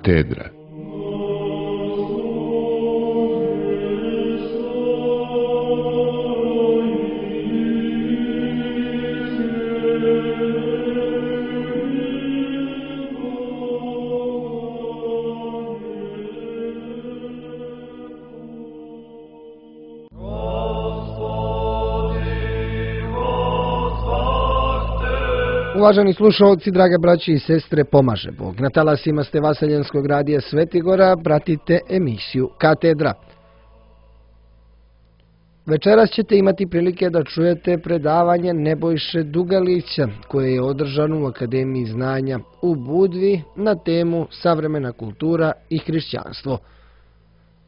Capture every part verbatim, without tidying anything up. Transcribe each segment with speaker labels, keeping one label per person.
Speaker 1: Katedra.
Speaker 2: Uvaženi slušalci, drage braći i sestre, pomaže Bog. Na talasima ste Vaseljenskog radija Svetigora, pratite emisiju Katedra. Večeras ćete imati prilike da čujete predavanje Nebojše Dugalića, koje je održano u Akademiji znanja u Budvi na temu Savremena kultura i hrišćanstvo.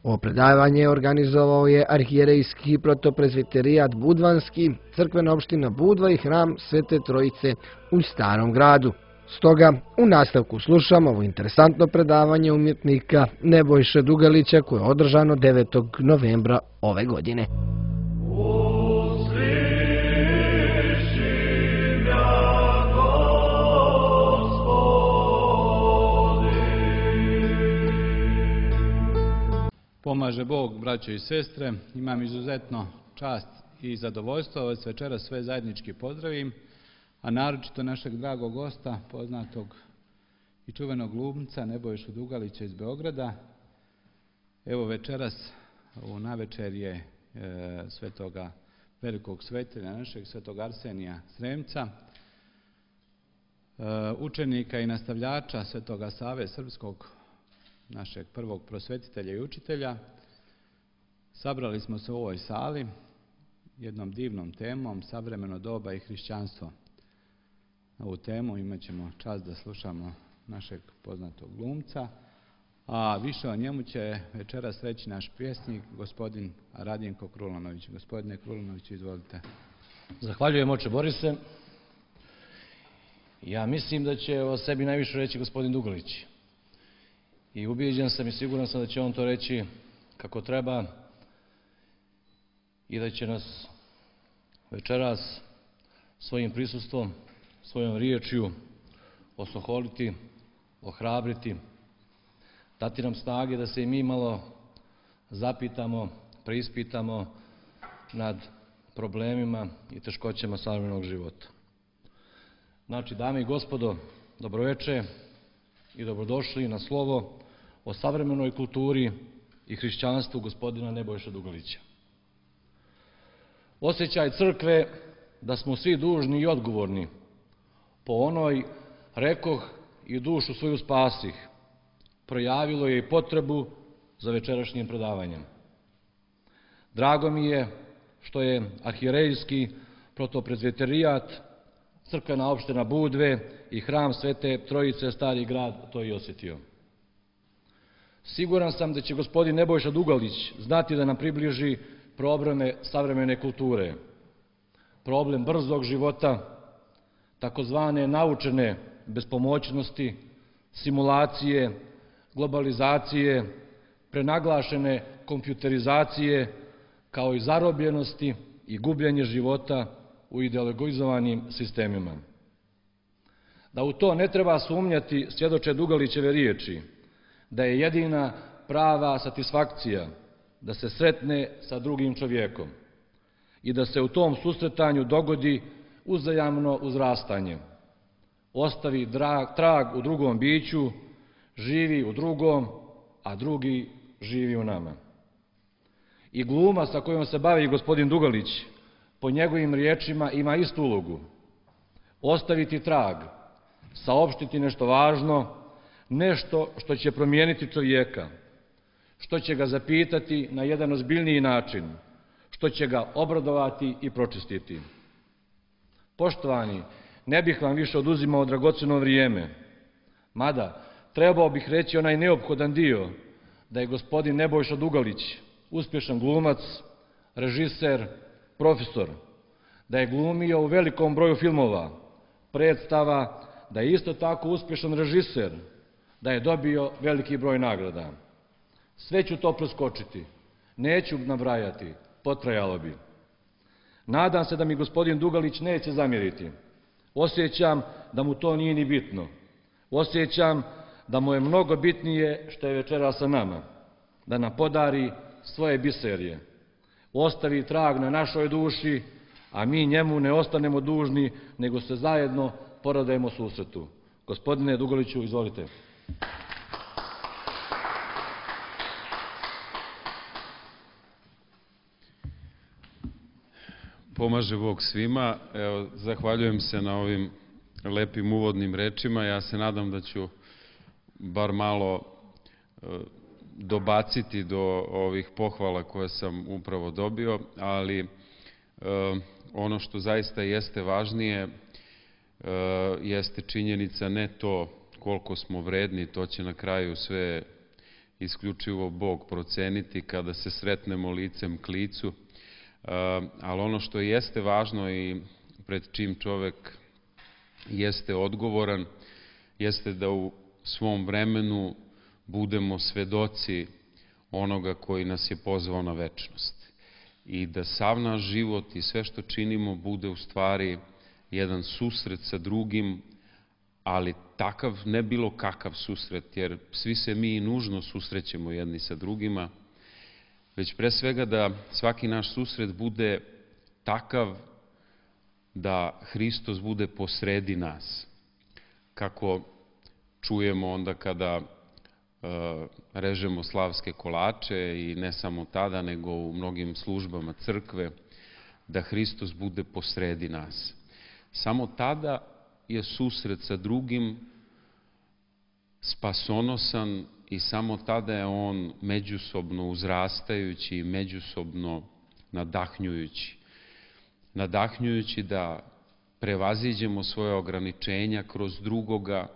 Speaker 2: Ovo predavanje organizovao je arhijerejski protoprezviterijat Budvanski, crkvena opština Budva i hram Svete Trojice u Starom gradu. Stoga, u nastavku slušamo ovo interesantno predavanje umjetnika Nebojše Dugalića koje je održano devetog novembra ove godine.
Speaker 3: Pomaže Bog, braćo i sestre, imam izuzetno čast i zadovoljstvo vas večeras sve zajednički pozdravim, a naročito našeg dragog gosta, poznatog i čuvenog glumca Nebojšu Dugalića iz Beograda. Evo večeras u navečerje e, svetoga velikog svetelja našeg, svetog Arsenija Sremca, e, učenika i nastavljača svetoga Save Srpskog, našeg prvog prosvetitelja i učitelja. Sabrali smo se u ovoj sali jednom divnom temom, savremeno doba i hrišćanstvo. Na ovu temu imat ćemo čast da slušamo našeg poznatog glumca, a više o njemu će večeras reći naš pjesnik, gospodin Radjenko Krulanović. Gospodine Krulanović, izvolite.
Speaker 4: Zahvaljujem, oče Borise. Ja mislim da će o sebi najviše reći gospodin Dugalić. I ubijeđen sam i siguran sam da će on to reći kako treba i da će nas večeras svojim prisustvom, svojom riječju osoholiti, ohrabriti, dati nam snage da se i mi malo zapitamo, preispitamo nad problemima i teškoćama savremenog života. Znači, dame i gospodo, dobroveče i dobrodošli na slovo o savremenoj kulturi i hrišćanstvu gospodina Nebojše Dugalića. Osjećaj crkve da smo svi dužni i odgovorni po onoj rekoh i dušu svoju spasih projavilo je i potrebu za večerašnjim predavanjem. Drago mi je što je arhijerejski protoprezviterijat, crkvena opština Budve i hram Svete Trojice Stari grad to i osjetio. Siguran sam da će gospodin Nebojša Dugalić znati da nam približi probleme savremene kulture, problem brzog života, takozvane naučene bespomoćnosti, simulacije, globalizacije, prenaglašene kompjuterizacije, kao i zarobljenosti i gubljenje života u ideologizovanim sistemima. Da u to ne treba sumnjati svjedoče Dugalićeve riječi, da je jedina prava satisfakcija da se sretne sa drugim čovjekom i da se u tom susretanju dogodi uzajamno uzrastanje, ostavi drag, trag u drugom biću, živi u drugom, a drugi živi u nama. I gluma sa kojom se bavi gospodin Dugalić, po njegovim riječima, ima istu ulogu. Ostaviti trag, saopštiti nešto važno, nešto što će promijeniti čovjeka, što će ga zapitati na jedan ozbiljniji način, što će ga obradovati i pročistiti. Poštovani, ne bih vam više oduzimao dragocjeno vrijeme, mada trebao bih reći onaj neophodan dio, da je gospodin Nebojša Dugalić uspješan glumac, režiser, profesor, da je glumio u velikom broju filmova, predstava, da je isto tako uspješan režiser, da je dobio veliki broj nagrada. Sve ću to preskočiti, neću nabrajati, potrajalo bi. Nadam se da mi gospodin Dugalić neće zamjeriti. Osjećam da mu to nije ni bitno. Osjećam da mu je mnogo bitnije što je večera sa nama, da nam podari svoje biserije, ostavi trag na našoj duši, a mi njemu ne ostanemo dužni, nego se zajedno poradujemo susretu. Gospodine Dugaliću, izvolite.
Speaker 1: Pomaže Bog svima. Evo, zahvaljujem se na ovim lepim uvodnim rečima. Ja se nadam da ću bar malo e, dobaciti do ovih pohvala koje sam upravo dobio, ali e, ono što zaista jeste važnije e, jeste činjenica ne to koliko smo vredni, to će na kraju sve isključivo Bog proceniti kada se sretnemo licem k licu, ali ono što jeste važno i pred čim čovek jeste odgovoran, jeste da u svom vremenu budemo svedoci onoga koji nas je pozvao na večnost. I da sav naš život i sve što činimo bude u stvari jedan susret sa drugim, ali takav, ne bilo kakav susret, jer svi se mi i nužno susrećemo jedni sa drugima, već pre svega da svaki naš susret bude takav da Hristos bude posredi nas. Kako čujemo onda kada e, režemo slavske kolače i ne samo tada, nego u mnogim službama crkve, da Hristos bude posredi nas. Samo tada je susret sa drugim spasonosan i samo tada je on međusobno uzrastajući i međusobno nadahnjujući. Nadahnjujući da prevaziđemo svoje ograničenja kroz drugoga,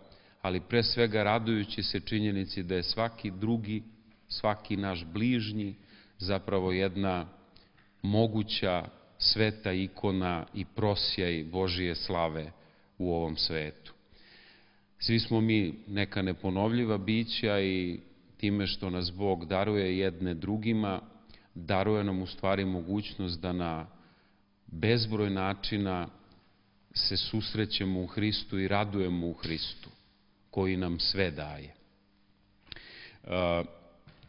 Speaker 1: ali pre svega radujući se činjenici da je svaki drugi, svaki naš bližnji zapravo jedna moguća sveta ikona i prosjaj Božije slave u ovom svetu. Svi smo mi neka neponovljiva bića i time što nas Bog daruje jedne drugima, daruje nam u stvari mogućnost da na bezbroj načina se susrećemo u Hristu i radujemo u Hristu, koji nam sve daje. E,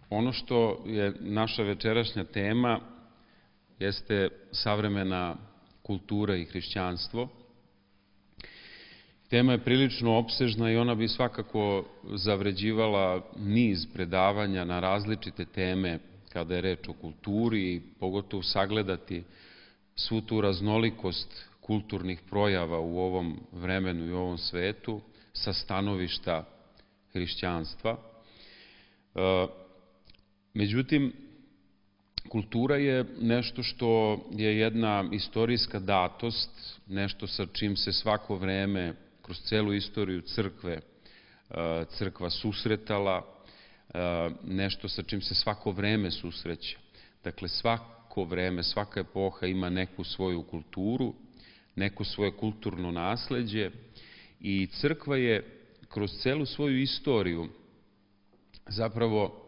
Speaker 1: ono što je naša večerašnja tema jeste savremena kultura i hrišćanstvo. Tema je prilično opsežna i ona bi svakako zavređivala niz predavanja na različite teme kada je reč o kulturi i pogotovo sagledati svu tu raznolikost kulturnih projava u ovom vremenu i u ovom svetu sa stanovišta hrišćanstva. Međutim, kultura je nešto što je jedna istorijska datost, nešto sa čim se svako vreme kroz celu istoriju crkve crkva susretala, nešto sa čim se svako vreme susreće. Dakle, svako vreme, svaka epoha ima neku svoju kulturu, neko svoje kulturno nasleđe i crkva je kroz celu svoju istoriju zapravo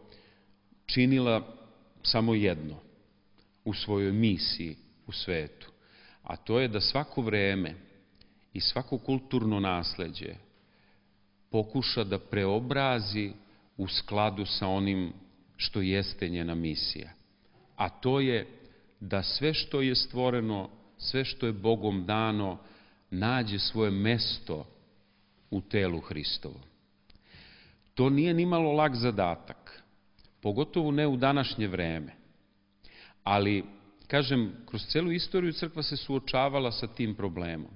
Speaker 1: činila samo jedno u svojoj misiji u svetu, a to je da svako vreme i svako kulturno nasleđe pokuša da preobrazi u skladu sa onim što jeste njena misija. A to je da sve što je stvoreno, sve što je Bogom dano, nađe svoje mesto u telu Hristovom. To nije nimalo lak zadatak, pogotovo ne u današnje vreme. Ali, kažem, kroz celu istoriju crkva se suočavala sa tim problemom.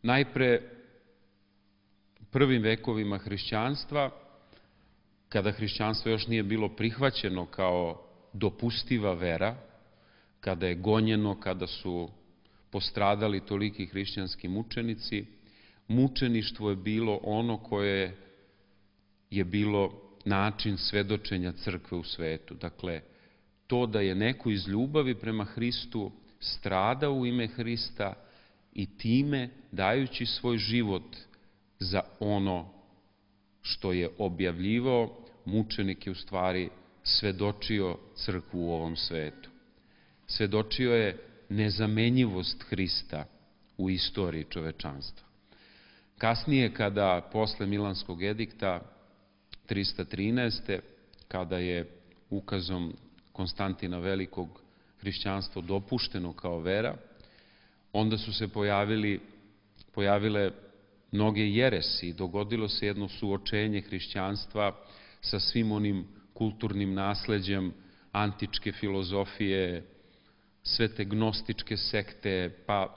Speaker 1: Najpre, u prvim vekovima hrišćanstva, kada hrišćanstvo još nije bilo prihvaćeno kao dopustiva vera, kada je gonjeno, kada su postradali toliki hrišćanski mučenici, mučeništvo je bilo ono koje je bilo način svedočenja crkve u svetu. Dakle, to da je neko iz ljubavi prema Hristu stradao u ime Hrista i time dajući svoj život za ono što je objavljivao, mučenik je u stvari svedočio crkvu u ovom svetu. Svedočio je nezamenjivost Hrista u istoriji čovečanstva. Kasnije, kada posle Milanskog edikta trista trinaeste. kada je ukazom Konstantina Velikog hrišćanstvo dopušteno kao vera, onda su se pojavili, pojavile mnoge jeresi i dogodilo se jedno suočenje hrišćanstva sa svim onim kulturnim nasleđem antičke filozofije, sve te gnostičke sekte, pa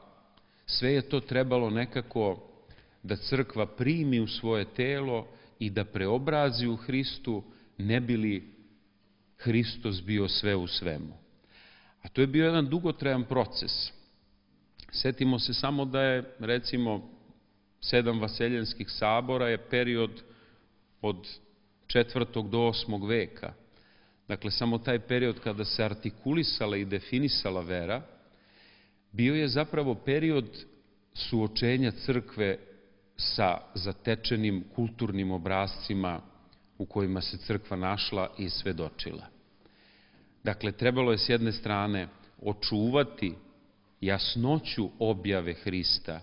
Speaker 1: sve je to trebalo nekako da crkva primi u svoje telo i da preobrazi u Hristu, ne bi li Hristos bio sve u svemu. A to je bio jedan dugotrajan proces. Setimo se samo da je, recimo, sedam vaseljenskih sabora je period od četvrtog do osmog veka. Dakle, samo taj period kada se artikulisala i definisala vera, bio je zapravo period suočenja crkve sa zatečenim kulturnim obrascima u kojima se crkva našla i svedočila. Dakle, trebalo je s jedne strane očuvati jasnoću objave Hrista,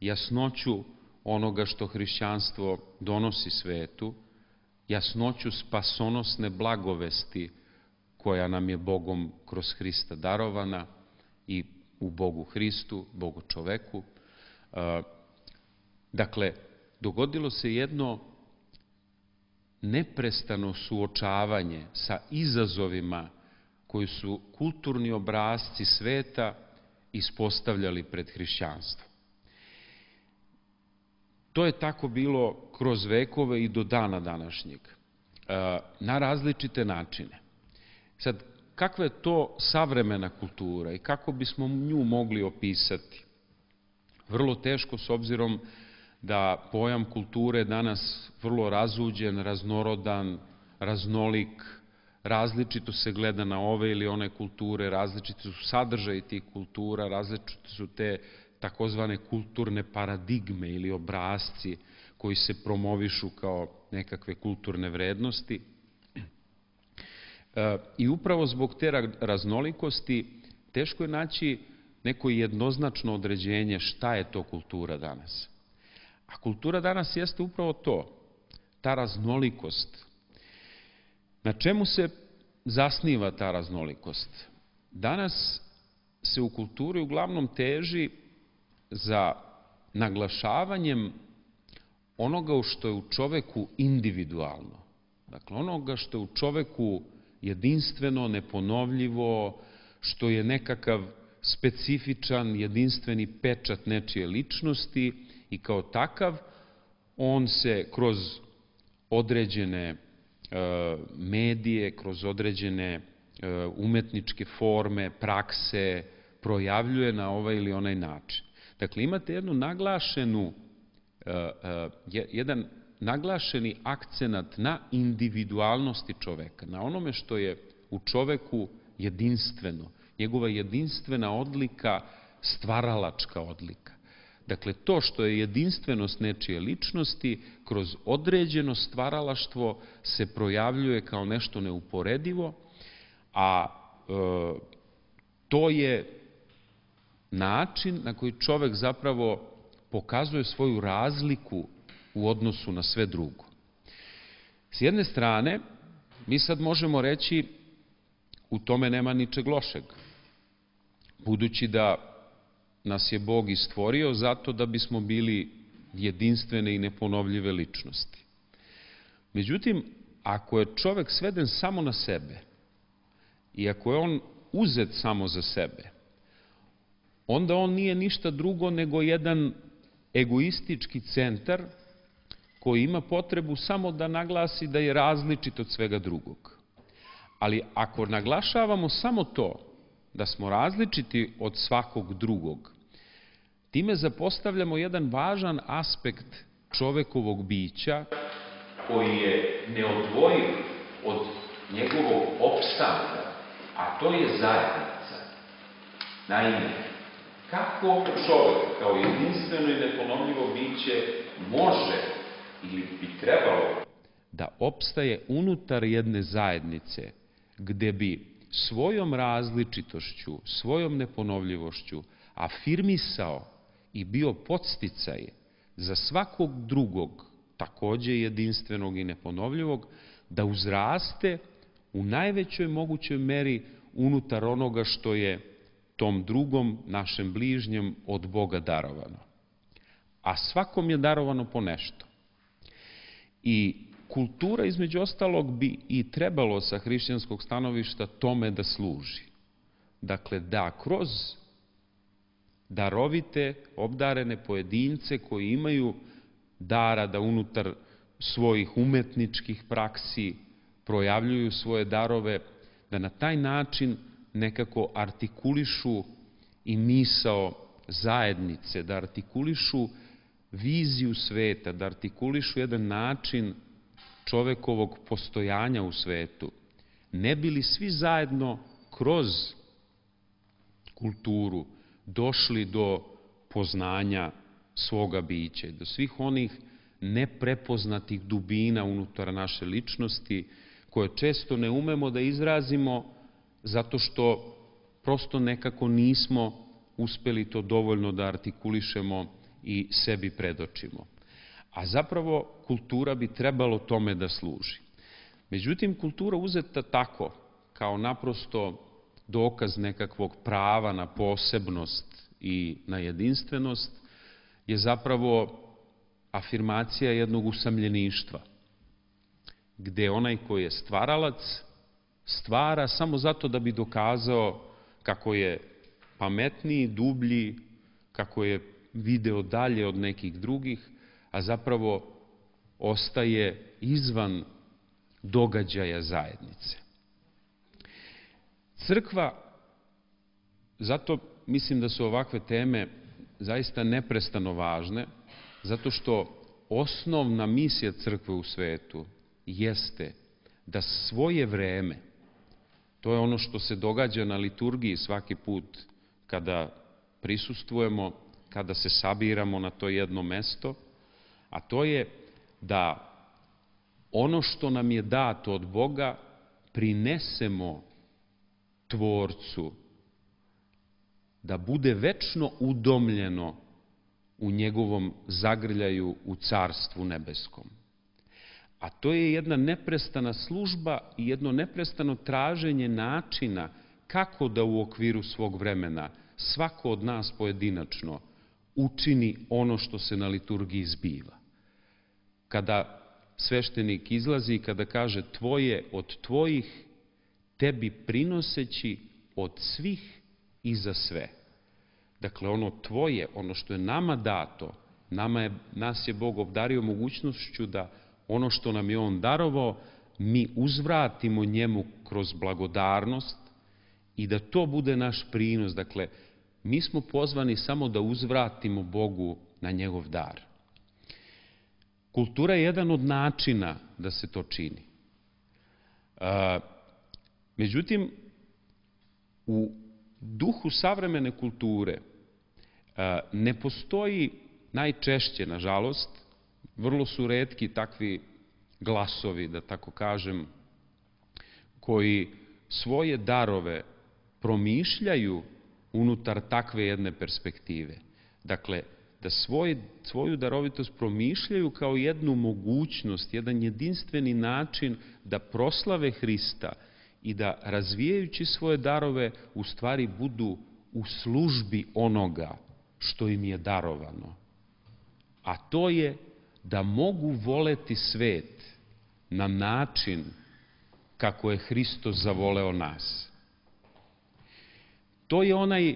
Speaker 1: jasnoću onoga što hrišćanstvo donosi svetu, jasnoću spasonosne blagovesti koja nam je Bogom kroz Hrista darovana i u Bogu Hristu, Bogu čoveku. Dakle, dogodilo se jedno neprestano suočavanje sa izazovima koji su kulturni obrasci sveta ispostavljali pred hrišćanstvo. To je tako bilo kroz vekove i do dana današnjeg, na različite načine. Sad, kakva je to savremena kultura i kako bismo nju mogli opisati? Vrlo teško, s obzirom da pojam kulture danas vrlo razuđen, raznorodan, raznolik, različito se gleda na ove ili one kulture, različiti su sadržaji tih kultura, različite su te takozvane kulturne paradigme ili obrasci koji se promovišu kao nekakve kulturne vrednosti. I upravo zbog te raznolikosti teško je naći neko jednoznačno određenje šta je to kultura danas. A kultura danas jeste upravo to, ta raznolikost. Na čemu se zasniva ta raznolikost? Danas se u kulturi uglavnom teži za naglašavanjem onoga što je u čoveku individualno. Dakle, onoga što je u čoveku jedinstveno, neponovljivo, što je nekakav specifičan, jedinstveni pečat nečije ličnosti i kao takav on se kroz određene medije, kroz određene umetničke forme, prakse, projavljuje na ovaj ili onaj način. Dakle, imate jednu naglašenu, jedan naglašeni akcenat na individualnosti čoveka, na onome što je u čoveku jedinstveno, njegova jedinstvena odlika, stvaralačka odlika. Dakle, to što je jedinstvenost nečije ličnosti, kroz određeno stvaralaštvo se projavljuje kao nešto neuporedivo, a e, to je način na koji čovek zapravo pokazuje svoju razliku u odnosu na sve drugo. S jedne strane, mi sad možemo reći u tome nema ničeg lošeg, budući da nas je Bog i stvorio zato da bismo bili jedinstvene i neponovljive ličnosti. Međutim, ako je čovek sveden samo na sebe i ako je on uzet samo za sebe, onda on nije ništa drugo nego jedan egoistički centar koji ima potrebu samo da naglasi da je različit od svega drugog. Ali ako naglašavamo samo to, da smo različiti od svakog drugog, time zapostavljamo jedan važan aspekt čovekovog bića koji je neodvojiv od njegovog opstanka, a to je zajednica. Naime, kako čovek kao jedinstveno i neponovljivo biće može ili bi trebalo da opstaje unutar jedne zajednice gde bi svojom različitošću, svojom neponovljivošću afirmisao i bio podsticaj za svakog drugog, takođe jedinstvenog i neponovljivog, da uzraste u najvećoj mogućoj meri unutar onoga što je tom drugom, našem bližnjem, od Boga darovano. A svakom je darovano po nešto. I kultura, između ostalog, bi i trebalo sa hrišćanskog stanovišta tome da služi. Dakle, da kroz darovite, obdarene pojedince koji imaju dara da unutar svojih umetničkih praksi projavljuju svoje darove, da na taj način nekako artikulišu i misao zajednice, da artikulišu viziju sveta, da artikulišu jedan način čovekovog postojanja u svetu, ne bi li svi zajedno kroz kulturu došli do poznanja svoga bića, do svih onih neprepoznatih dubina unutar naše ličnosti, koje često ne umemo da izrazimo zato što prosto nekako nismo uspeli to dovoljno da artikulišemo i sebi predočimo. A zapravo kultura bi trebalo tome da služi. Međutim, kultura uzeta tako, kao naprosto dokaz nekakvog prava na posebnost i na jedinstvenost, je zapravo afirmacija jednog usamljeništva, gde onaj koji je stvaralac stvara samo zato da bi dokazao kako je pametniji, dublji, kako je video dalje od nekih drugih, a zapravo ostaje izvan događaja zajednice. Crkva, zato mislim da su ovakve teme zaista neprestano važne, zato što osnovna misija crkve u svetu jeste da svoje vreme, to je ono što se događa na liturgiji svaki put kada prisustvujemo, kada se sabiramo na to jedno mesto, a to je da ono što nam je dato od Boga prinesemo Tvorcu, da bude večno udomljeno u njegovom zagrljaju u Carstvu nebeskom. A to je jedna neprestana služba i jedno neprestano traženje načina kako da u okviru svog vremena svako od nas pojedinačno učini ono što se na liturgiji zbiva. Kada sveštenik izlazi i kada kaže tvoje od tvojih, tebi prinoseći od svih i za sve. Dakle, ono tvoje, ono što je nama dato, nama je, nas je Bog obdario mogućnošću da ono što nam je On darovao, mi uzvratimo njemu kroz blagodarnost i da to bude naš prinos. Dakle, mi smo pozvani samo da uzvratimo Bogu na njegov dar. Kultura je jedan od načina da se to čini. E, međutim, u duhu savremene kulture e, ne postoji najčešće, nažalost, vrlo su retki takvi glasovi, da tako kažem, koji svoje darove promišljaju unutar takve jedne perspektive. Dakle, da svoj, svoju darovitost promišljaju kao jednu mogućnost, jedan jedinstveni način da proslave Hrista i da razvijajući svoje darove u stvari budu u službi onoga što im je darovano. A to je da mogu voleti svet na način kako je Hristos zavoleo nas. To je onaj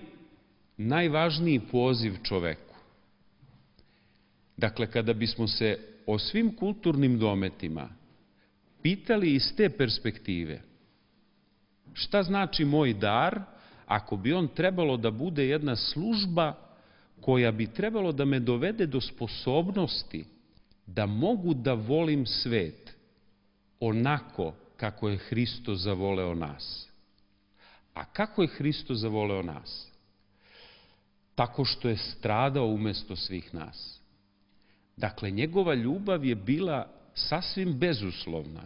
Speaker 1: najvažniji poziv čoveku. Dakle, kada bismo se o svim kulturnim dometima pitali iz te perspektive, šta znači moj dar, ako bi on trebalo da bude jedna služba koja bi trebalo da me dovede do sposobnosti da mogu da volim svet onako kako je Hristos zavoleo nas. A kako je Hristos zavoleo nas? Tako što je stradao umesto svih nas. Dakle, njegova ljubav je bila sasvim bezuslovna.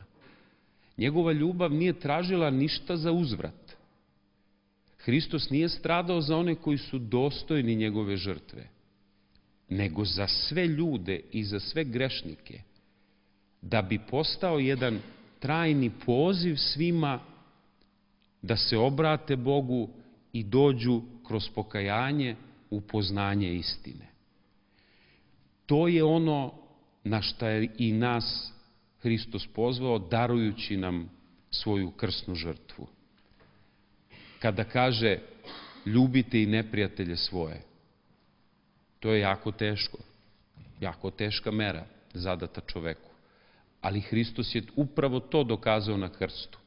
Speaker 1: Njegova ljubav nije tražila ništa za uzvrat. Hristos nije stradao za one koji su dostojni njegove žrtve, nego za sve ljude i za sve grešnike, da bi postao jedan trajni poziv svima da se obrate Bogu i dođu kroz pokajanje u poznanje istine. To je ono na šta je i nas Hristos pozvao, darujući nam svoju krsnu žrtvu. Kada kaže ljubite i neprijatelje svoje, to je jako teško, jako teška mera zadata čoveku. Ali Hristos je upravo to dokazao na krstu.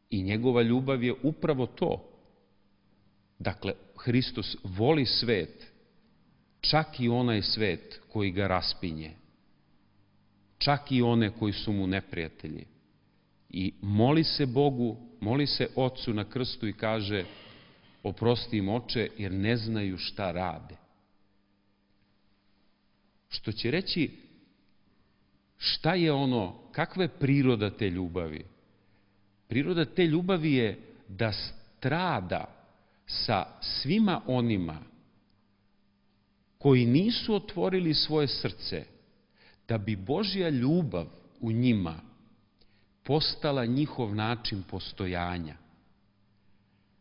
Speaker 1: I njegova ljubav je upravo to. Dakle, Hristos voli svet, čak i onaj svet koji ga raspinje, čak i one koji su mu neprijatelji. I moli se Bogu, moli se Ocu na krstu i kaže: oprosti im, Oče, jer ne znaju šta rade. Što će reći, šta je ono, kakva je priroda te ljubavi? Priroda te ljubavi je da strada sa svima onima koji nisu otvorili svoje srce, da bi Božja ljubav u njima postala njihov način postojanja.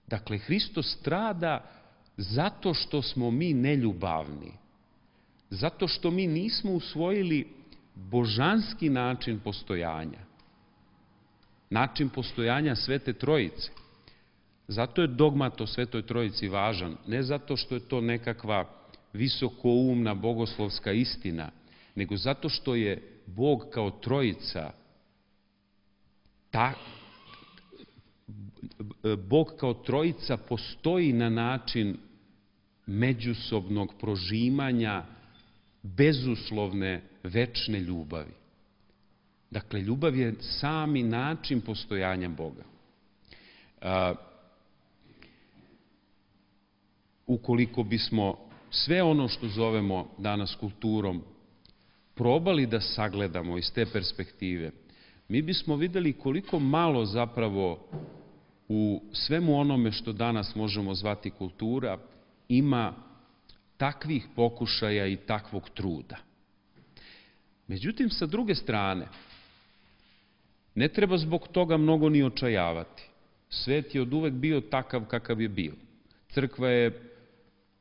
Speaker 1: Dakle, Hristos strada zato što smo mi neljubavni, zato što mi nismo usvojili božanski način postojanja, način postojanja Svete Trojice. Zato je dogmat o Svetoj Trojici važan, ne zato što je to nekakva visokoumna bogoslovska istina, nego zato što je Bog kao Trojica, ta, Bog kao Trojica postoji na način međusobnog prožimanja bezuslovne, večne ljubavi. Dakle, ljubav je sami način postojanja Boga. A, ukoliko bismo sve ono što zovemo danas kulturom probali da sagledamo iz te perspektive, mi bismo videli koliko malo zapravo u svemu onome što danas možemo zvati kultura ima takvih pokušaja i takvog truda. Međutim, sa druge strane, ne treba zbog toga mnogo ni očajavati. Svet je oduvek bio takav kakav je bio. Crkva je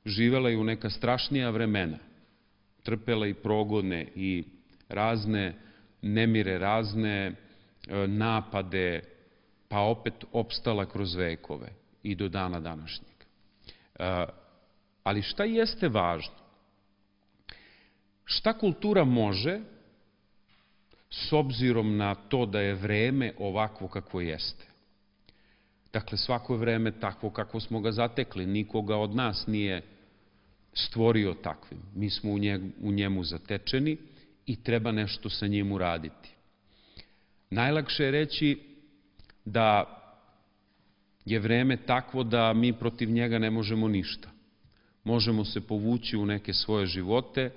Speaker 1: živela i u neka strašnija vremena, trpela i progone i razne nemire, razne napade, pa opet opstala kroz vekove i do dana današnjeg. Ali šta jeste važno? Šta kultura može, s obzirom na to da je vreme ovakvo kakvo jeste? Dakle, svako je vreme takvo kako smo ga zatekli. Nikoga od nas nije stvorio takvim. Mi smo u njemu zatečeni i treba nešto sa njim uraditi. Najlakše je reći da je vreme takvo da mi protiv njega ne možemo ništa. Možemo se povući u neke svoje živote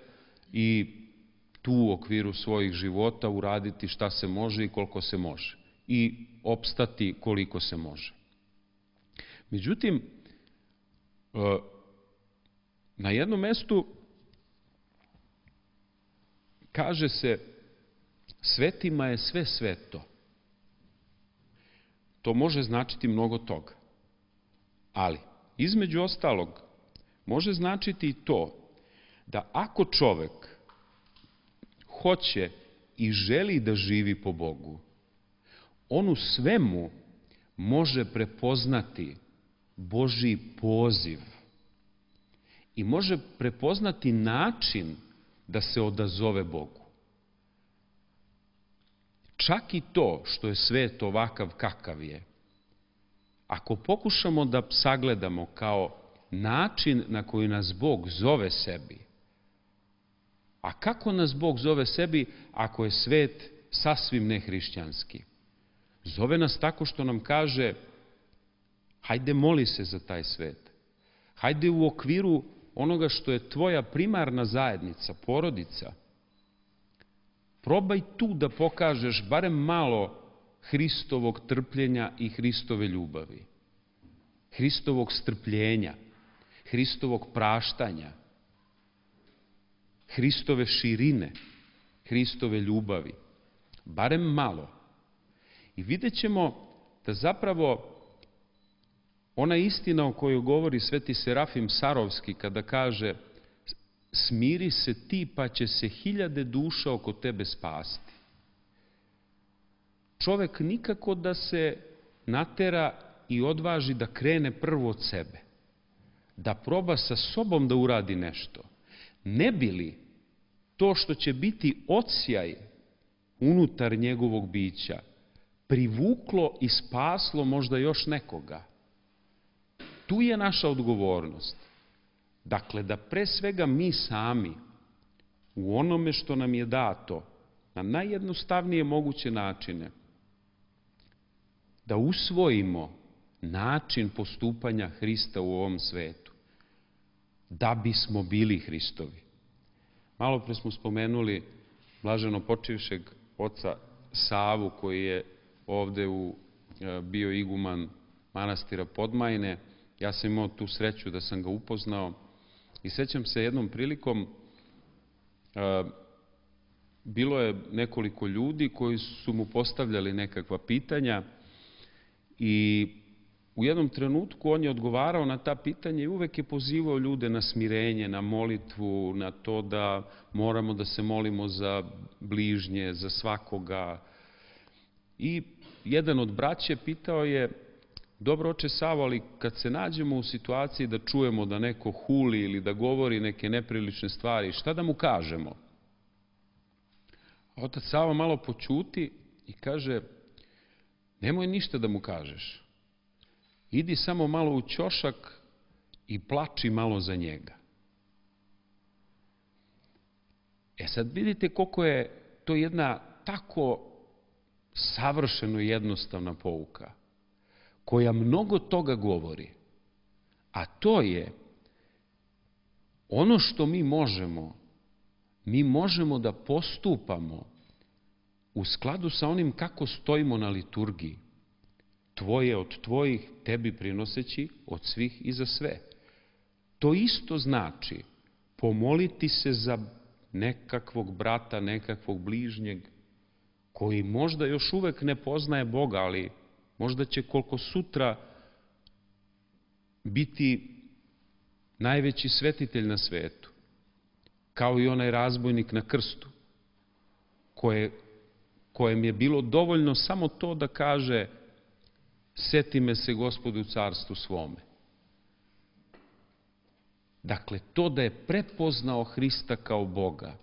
Speaker 1: i tu u okviru svojih života uraditi šta se može i koliko se može. I opstati koliko se može. Međutim, na jednom mestu kaže se: svetima je sve sveto. To može značiti mnogo toga. Ali, između ostalog, može značiti i to da ako čovek hoće i želi da živi po Bogu, on u svemu može prepoznati Božji poziv i može prepoznati način da se odazove Bogu. Čak i to što je svet ovakav kakav je, ako pokušamo da sagledamo kao način na koji nas Bog zove sebi, a kako nas Bog zove sebi ako je svet sasvim nehrišćanski? Zove nas tako što nam kaže: hajde moli se za taj svet. Hajde u okviru onoga što je tvoja primarna zajednica, porodica, probaj tu da pokažeš barem malo Hristovog trpljenja i Hristove ljubavi, Hristovog strpljenja, Hristovog praštanja. Hristove širine, Hristove ljubavi, barem malo. I vidjet ćemo da zapravo ona istina o kojoj govori sveti Serafim Sarovski kada kaže smiri se ti pa će se hiljade duša oko tebe spasti. Čovek nikako da se natera i odvaži da krene prvo od sebe, da proba sa sobom da uradi nešto. Ne bi li to što će biti odsjaj unutar njegovog bića privuklo i spaslo možda još nekoga? Tu je naša odgovornost. Dakle, da pre svega mi sami u onome što nam je dato na najjednostavnije moguće načine da usvojimo način postupanja Hrista u ovom svetu, da bismo bili Hristovi. Malo pre smo spomenuli blaženo počivšeg oca Savu, koji je ovde u, bio iguman manastira Podmajne. Ja sam imao tu sreću da sam ga upoznao i sećam se jednom prilikom, bilo je nekoliko ljudi koji su mu postavljali nekakva pitanja i u jednom trenutku on je odgovarao na ta pitanja i uvek je pozivao ljude na smirenje, na molitvu, na to da moramo da se molimo za bližnje, za svakoga. I jedan od braće pitao je: dobro, oče Savo, ali kad se nađemo u situaciji da čujemo da neko huli ili da govori neke neprilične stvari, šta da mu kažemo? A otac Savo malo poćuti i kaže: nemoj ništa da mu kažeš. Idi samo malo u ćošak i plači malo za njega. E sad vidite koliko je to jedna tako savršeno jednostavna pouka, koja mnogo toga govori, a to je ono što mi možemo, mi možemo da postupamo u skladu sa onim kako stojimo na liturgiji. Tvoje od tvojih, tebi prinoseći od svih i za sve. To isto znači pomoliti se za nekakvog brata, nekakvog bližnjeg, koji možda još uvek ne poznaje Boga, ali možda će koliko sutra biti najveći svetitelj na svetu, kao i onaj razbojnik na krstu, koje, kojem je bilo dovoljno samo to da kaže: seti me se, Gospodu, u carstvu svome. Dakle, to da je prepoznao Hrista kao Boga,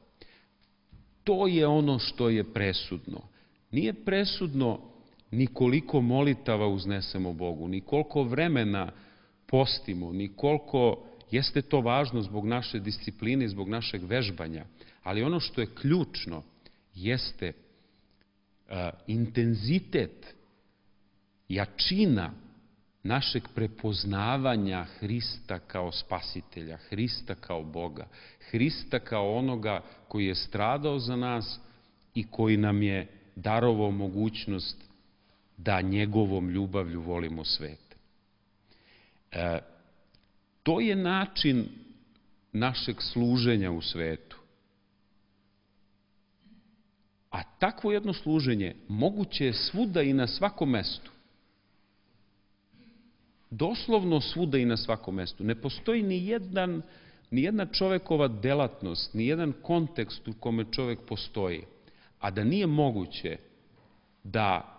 Speaker 1: to je ono što je presudno. Nije presudno ni koliko molitava uznesemo Bogu, ni koliko vremena postimo, ni koliko, jeste to važno zbog naše discipline, zbog našeg vežbanja, ali ono što je ključno jeste uh, intenzitet, jačina našeg prepoznavanja Hrista kao spasitelja, Hrista kao Boga, Hrista kao onoga koji je stradao za nas i koji nam je darovao mogućnost da njegovom ljubavlju volimo svet. E, to je način našeg služenja u svetu. A takvo jedno služenje moguće je svuda i na svakom mestu. Doslovno svuda i na svakom mestu. Ne postoji ni jedan, ni jedna čovekova delatnost, ni jedan kontekst u kome čovek postoji, a da nije moguće da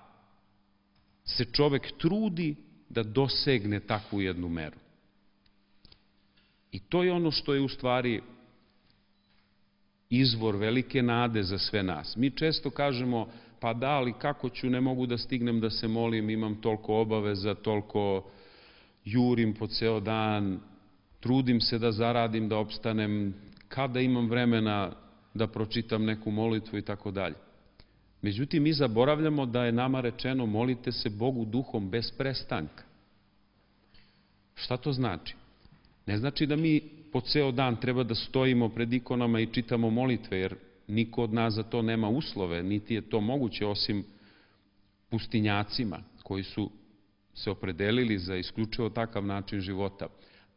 Speaker 1: se čovek trudi da dosegne takvu jednu meru. I to je ono što je u stvari izvor velike nade za sve nas. Mi često kažemo: pa da, ali kako ću, ne mogu da stignem da se molim, imam toliko obaveza, toliko jurim po ceo dan, trudim se da zaradim, da opstanem, kada imam vremena da pročitam neku molitvu i tako dalje. Međutim, mi zaboravljamo da je nama rečeno: molite se Bogu duhom bez prestanka. Šta to znači? Ne znači da mi po ceo dan treba da stojimo pred ikonama i čitamo molitve, jer niko od nas za to nema uslove, niti je to moguće osim pustinjacima koji su se opredelili za isključivo takav način života.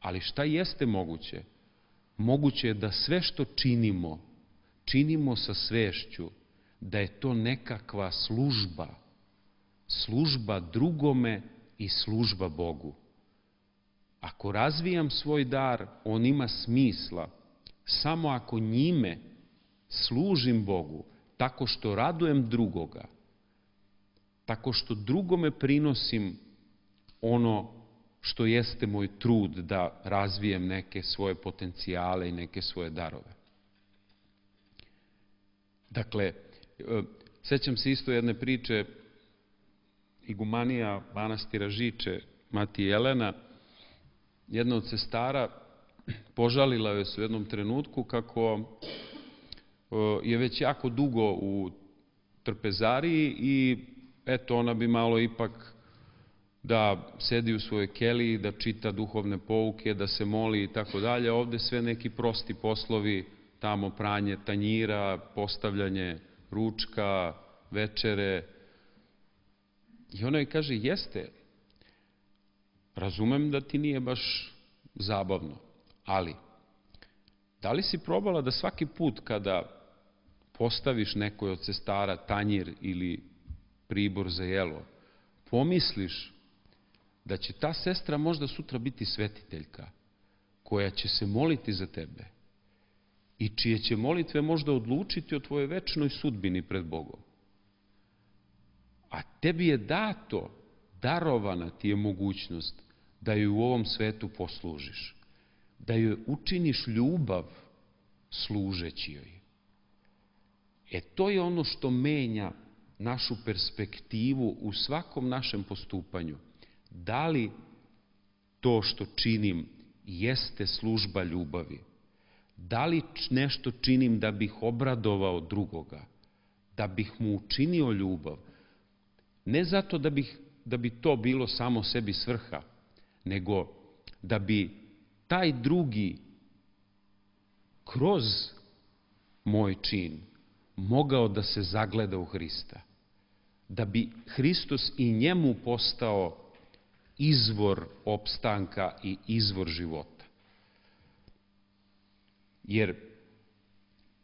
Speaker 1: Ali šta jeste moguće? moguće je da sve što činimo, činimo sa svešću da je to nekakva služba, služba drugome i služba Bogu. Ako razvijam svoj dar, on ima smisla samo ako njime služim Bogu, tako što radujem drugoga, tako što drugome prinosim ono što jeste moj trud da razvijem neke svoje potencijale i neke svoje darove. Dakle, sećam se isto jedne priče, igumanija manastira Žiče, mati Jelena, jedna od sestara, požalila joj se u jednom trenutku kako je već jako dugo u trpezariji i eto, ona bi malo ipak da sedi u svojoj keliji, da čita duhovne pouke, da se moli i tako dalje. Ovde sve neki prosti poslovi, tamo pranje tanjira, postavljanje ručka, večere. I ona joj kaže, jeste, razumem da ti nije baš zabavno, ali da li si probala da svaki put kada postaviš nekoj od sestara tanjir ili pribor za jelo, pomisliš da će ta sestra možda sutra biti svetiteljka, koja će se moliti za tebe i čije će molitve možda odlučiti o tvojoj večnoj sudbini pred Bogom. A tebi je dato, darovana ti je mogućnost da joj u ovom svetu poslužiš, da joj učiniš ljubav služeći joj. E to je ono što menja našu perspektivu u svakom našem postupanju. Da li to što činim jeste služba ljubavi? Da li nešto činim da bih obradovao drugoga, da bih mu učinio ljubav? Ne zato da, bih, da bi to bilo samo sebi svrha, nego da bi taj drugi kroz moj čin mogao da se zagleda u Hrista. Da bi Hristos i njemu postao izvor opstanka i izvor života. Jer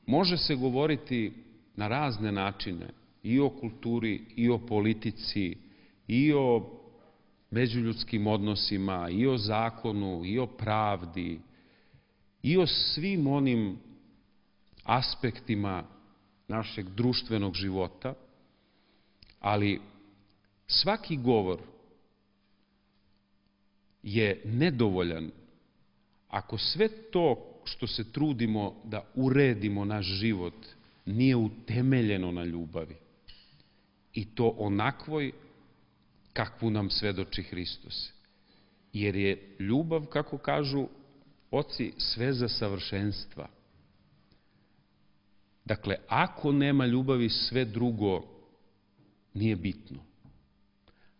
Speaker 1: može se govoriti na razne načine i o kulturi, i o politici, i o međuljudskim odnosima, i o zakonu, i o pravdi, i o svim onim aspektima našeg društvenog života, ali svaki govor je nedovoljan ako sve to što se trudimo da uredimo naš život nije utemeljeno na ljubavi. I to onakvoj kakvu nam svedoči Hristos. Jer je ljubav, kako kažu oci, sve za savršenstva. Dakle, ako nema ljubavi, sve drugo nije bitno.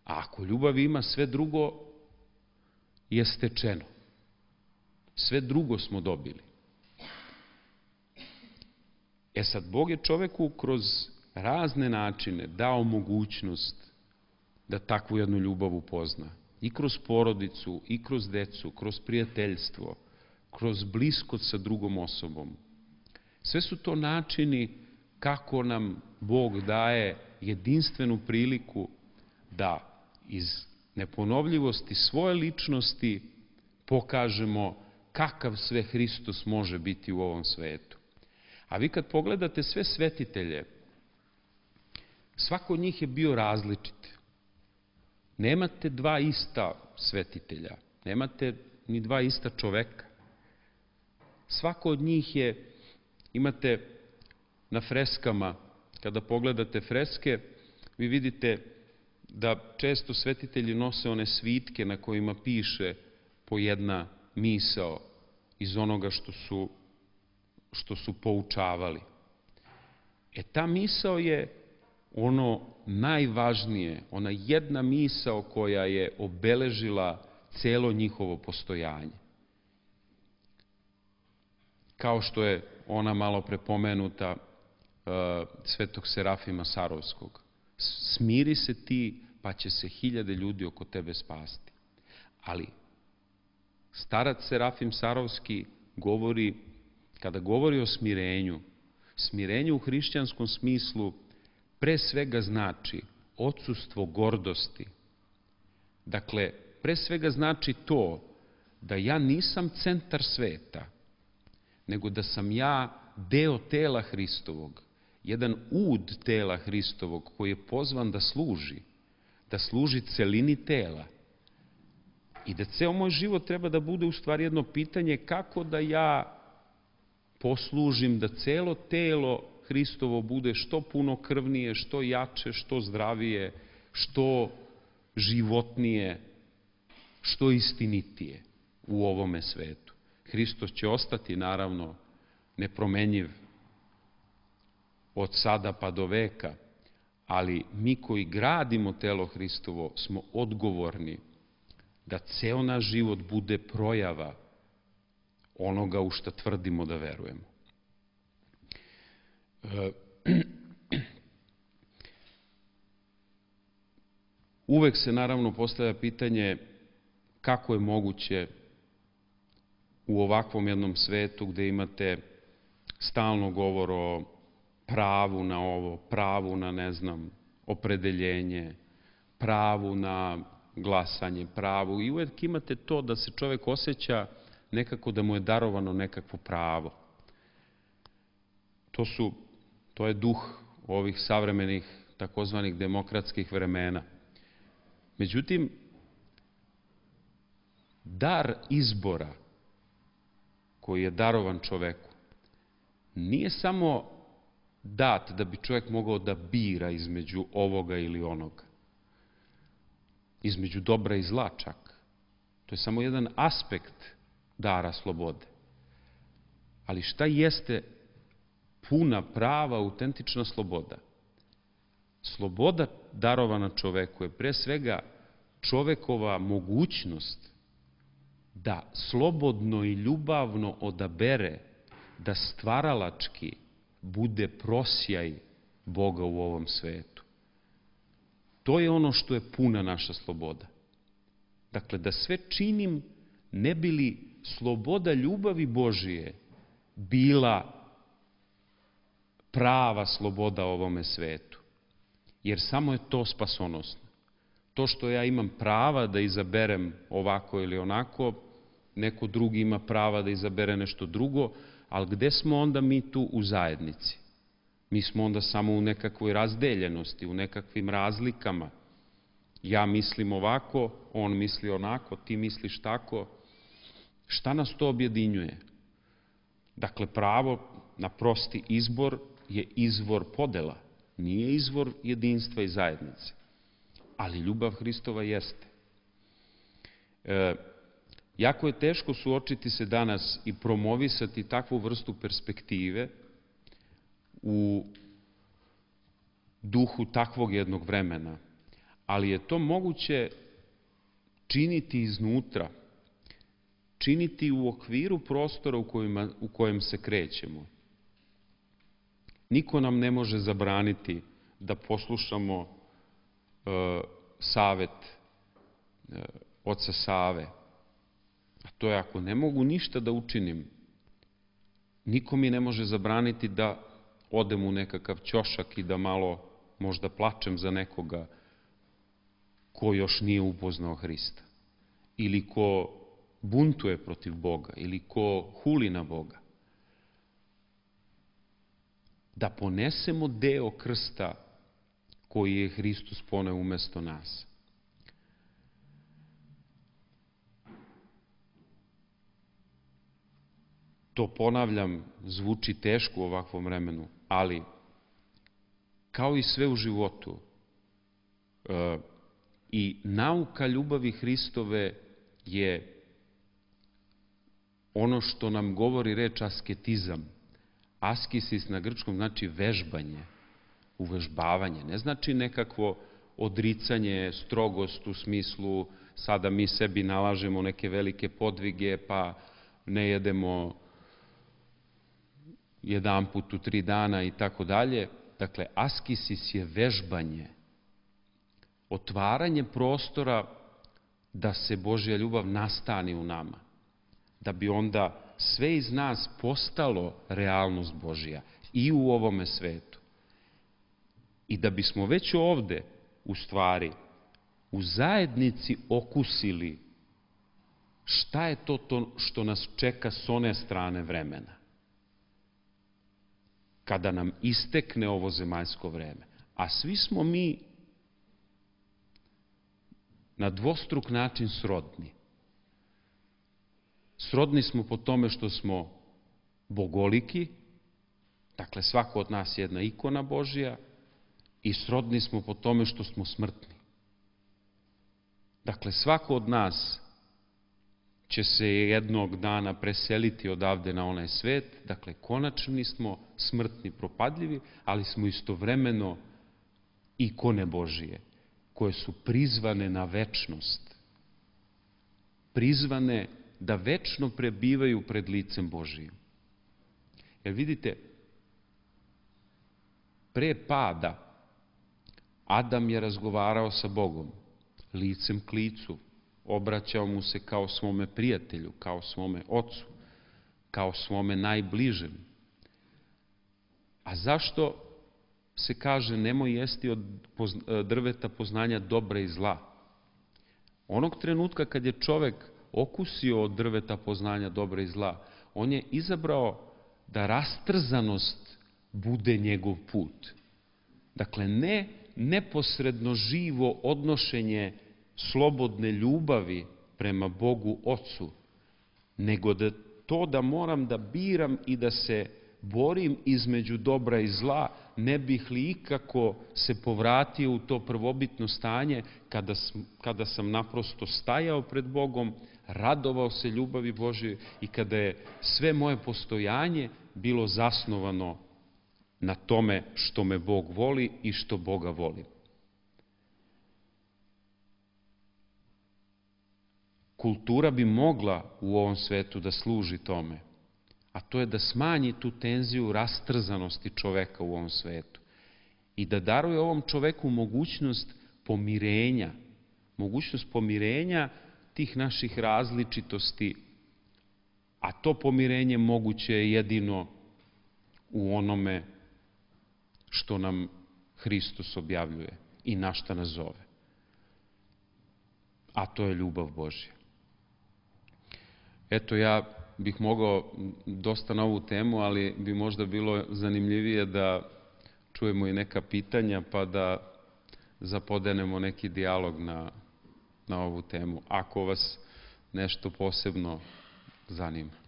Speaker 1: A ako ljubav ima, sve drugo je stečeno. Sve drugo smo dobili. E sad, Bog je čoveku kroz razne načine dao mogućnost da takvu jednu ljubav upozna. I kroz porodicu, i kroz decu, kroz prijateljstvo, kroz bliskost sa drugom osobom. Sve su to načini kako nam Bog daje jedinstvenu priliku da iz neponovljivosti svoje ličnosti pokažemo kakav sve Hristos može biti u ovom svetu. A vi kad pogledate sve svetitelje, svako od njih je bio različit. Nemate dva ista svetitelja, nemate ni dva ista čoveka. Svako od njih je, imate na freskama, kada pogledate freske, vi vidite da često svetitelji nose one svitke na kojima piše po jedna misao iz onoga što su, što su poučavali. E ta misao je ono najvažnije, ona jedna misao koja je obeležila celo njihovo postojanje. Kao što je ona malo prepomenuta uh, svetog Serafima Sarovskog. Smiri se ti, pa će se hiljade ljudi oko tebe spasti. Ali starac Serafim Sarovski govori, kada govori o smirenju, smirenje u hrišćanskom smislu pre svega znači odsustvo gordosti. Dakle, pre svega znači to da ja nisam centar sveta, nego da sam ja deo tela Hristovog, jedan ud tela Hristovog koji je pozvan da služi, da služi celini tela. I da ceo moj život treba da bude u stvari jedno pitanje kako da ja poslužim da celo telo Hristovo bude što punokrvnije, što jače, što zdravije, što životnije, što istinitije u ovome svetu. Hristos će ostati, naravno, nepromenjiv od sada pa do veka, ali mi koji gradimo telo Hristovo smo odgovorni da ceo naš život bude projava onoga u šta tvrdimo da verujemo. Uvek se naravno postavlja pitanje kako je moguće u ovakvom jednom svetu gde imate stalno govor o pravu na ovo, pravu na, ne znam, opredeljenje, pravu na glasanje, pravu, i uvek imate to da se čovek osjeća nekako da mu je darovano nekakvo pravo. To su, to je duh ovih savremenih takozvanih demokratskih vremena. Međutim, dar izbora koji je darovan čoveku nije samo dat da bi čovjek mogao da bira između ovoga ili onoga, između dobra i zla čak. To je samo jedan aspekt dara slobode. Ali šta jeste puna, prava, autentična sloboda? Sloboda darovana čoveku je pre svega čovekova mogućnost da slobodno i ljubavno odabere da stvaralački bude prosjaj Boga u ovom svetu. To je ono što je puna naša sloboda. Dakle, da sve činim ne bi li sloboda ljubavi Božije bila prava sloboda ovome svetu. Jer samo je to spasonosno. To što ja imam prava da izaberem ovako ili onako, neko drugi ima prava da izabere nešto drugo, ali gde smo onda mi tu u zajednici? Mi smo onda samo u nekakvoj razdeljenosti, u nekakvim razlikama. Ja mislim ovako, on misli onako, ti misliš tako. Šta nas to objedinjuje? Dakle, pravo na prosti izbor je izvor podela, nije izvor jedinstva i zajednice. Ali ljubav Hristova jeste. E, jako je teško suočiti se danas i promovisati takvu vrstu perspektive u duhu takvog jednog vremena, ali je to moguće činiti iznutra, činiti u okviru prostora u, kojima, u kojem se krećemo. Niko nam ne može zabraniti da poslušamo e, savet e, oca Save. A to je ako ne mogu ništa da učinim, niko mi ne može zabraniti da odem u nekakav ćošak i da malo možda plačem za nekoga ko još nije upoznao Hrista. Ili ko buntuje protiv Boga, ili ko huli na Boga. Da ponesemo deo krsta koji je Hristos poneo umesto nas. To, ponavljam, zvuči teško u ovakvom vremenu, ali kao i sve u životu, e, i nauka ljubavi Hristove je ono što nam govori reč asketizam. Askisis na grčkom znači vežbanje, uvežbavanje. Ne znači nekakvo odricanje, strogost u smislu sada mi sebi nalažemo neke velike podvige pa ne jedemo jedan put u tri dana i tako dalje. Dakle, askisis je vežbanje, otvaranje prostora da se Božja ljubav nastani u nama, da bi onda sve iz nas postalo realnost Božja i u ovome svetu. I da bismo već ovde, u stvari, u zajednici okusili šta je to, to što nas čeka s one strane vremena, kada nam istekne ovo zemaljsko vreme. A svi smo mi na dvostruk način srodni. Srodni smo po tome što smo bogoliki, dakle svako od nas je jedna ikona Božja, i srodni smo po tome što smo smrtni. Dakle, svako od nas će se jednog dana preseliti odavde na onaj svet, dakle, konačni smo, smrtni, propadljivi, ali smo istovremeno ikone Božije, koje su prizvane na večnost, prizvane da večno prebivaju pred licem Božijim. Jer vidite, pre pada Adam je razgovarao sa Bogom, licem k licu, obraćao mu se kao svome prijatelju, kao svome ocu, kao svome najbližem. A zašto se kaže nemoj jesti od drveta poznanja dobra i zla? Onog trenutka kad je čovek okusio od drveta poznanja dobra i zla, on je izabrao da rastrzanost bude njegov put. Dakle, ne neposredno živo odnošenje slobodne ljubavi prema Bogu Ocu, nego da to da moram da biram i da se borim između dobra i zla, ne bih li ikako se povratio u to prvobitno stanje kada, kada sam naprosto stajao pred Bogom, radovao se ljubavi Božje i kada je sve moje postojanje bilo zasnovano na tome što me Bog voli i što Boga volim. Kultura bi mogla u ovom svetu da služi tome, a to je da smanji tu tenziju rastrzanosti čoveka u ovom svetu i da daruje ovom čoveku mogućnost pomirenja, mogućnost pomirenja tih naših različitosti, a to pomirenje moguće je jedino u onome što nam Hristos objavljuje i na šta nas zove. A to je ljubav Božja. Eto, ja bih mogao dosta na ovu temu, ali bi možda bilo zanimljivije da čujemo i neka pitanja, pa da zapodenemo neki dijalog na, na ovu temu, ako vas nešto posebno zanima.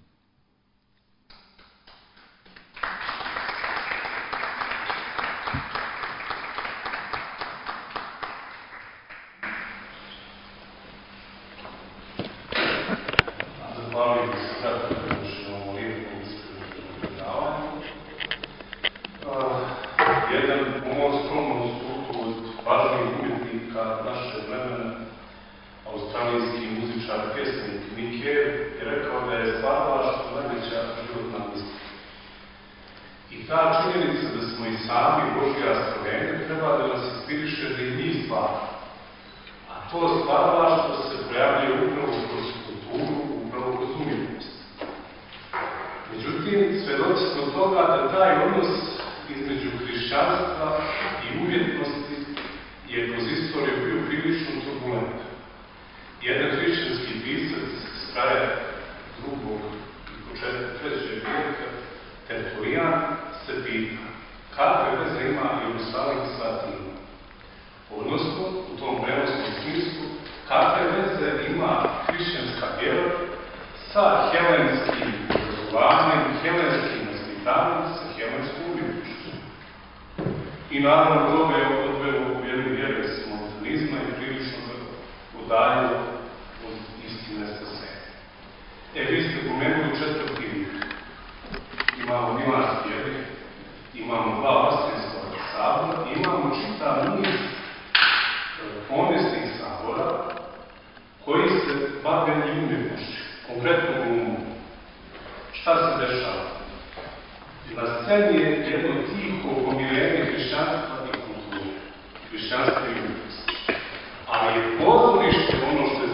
Speaker 5: Ali je pozorište ono što je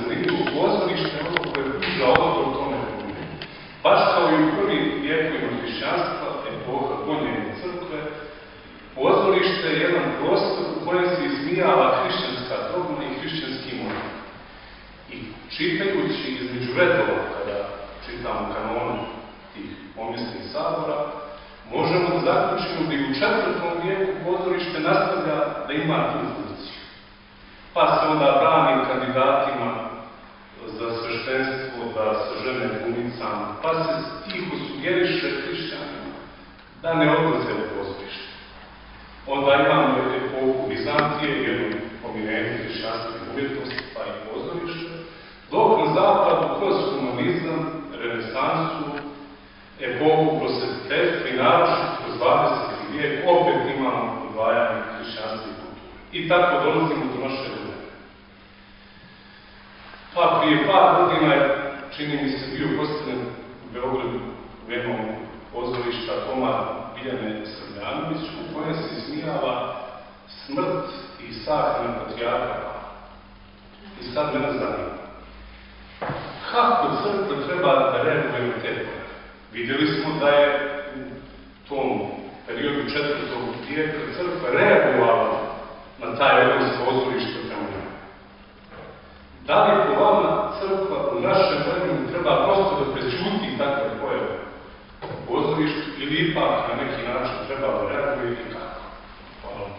Speaker 5: čitajući između redova, kada čitamo kanonu tih pomisnih sabora, možemo da zaključimo da i u četvrtom vijeku pozorište nastavlja da ima tu funkciju. Pa se onda brani kandidatima za sveštenstvo da se žene glumicama, pa se tiho sugeriše hrišćanima da ne odlaze u pozorište. Onda imamo epohu Vizantije, jednu pomirenju hrišćanske umjetnosti, pa i pozorište, dok na zapadu kroz humanizam, renesansu, epohu prosvetiteljstva i naročito kroz dvadeseti vijek opet imamo odvajanje hrišćanske kulture. I tako dolazimo do naše vremena. Pa prije par godina je, čini mi se, bio postavljen u Beogradu u jednom pozorišta komad Biljane Srbljanović, u kojem se ismijava smrt i sahrana patrijarha Pavla. I sad mene zanima. Kako crkva treba da reaguje na te pojave? Vidjeli smo da je u tom periodu četvrtog vijeka crkva reagovala na taj odnos pozorišta prema njemu. Da li po vama crkva u našem vremenu treba prosto da prećuti takve pojave u pozorištu ili ipak na neki način treba da reaguje i kako? Hvala.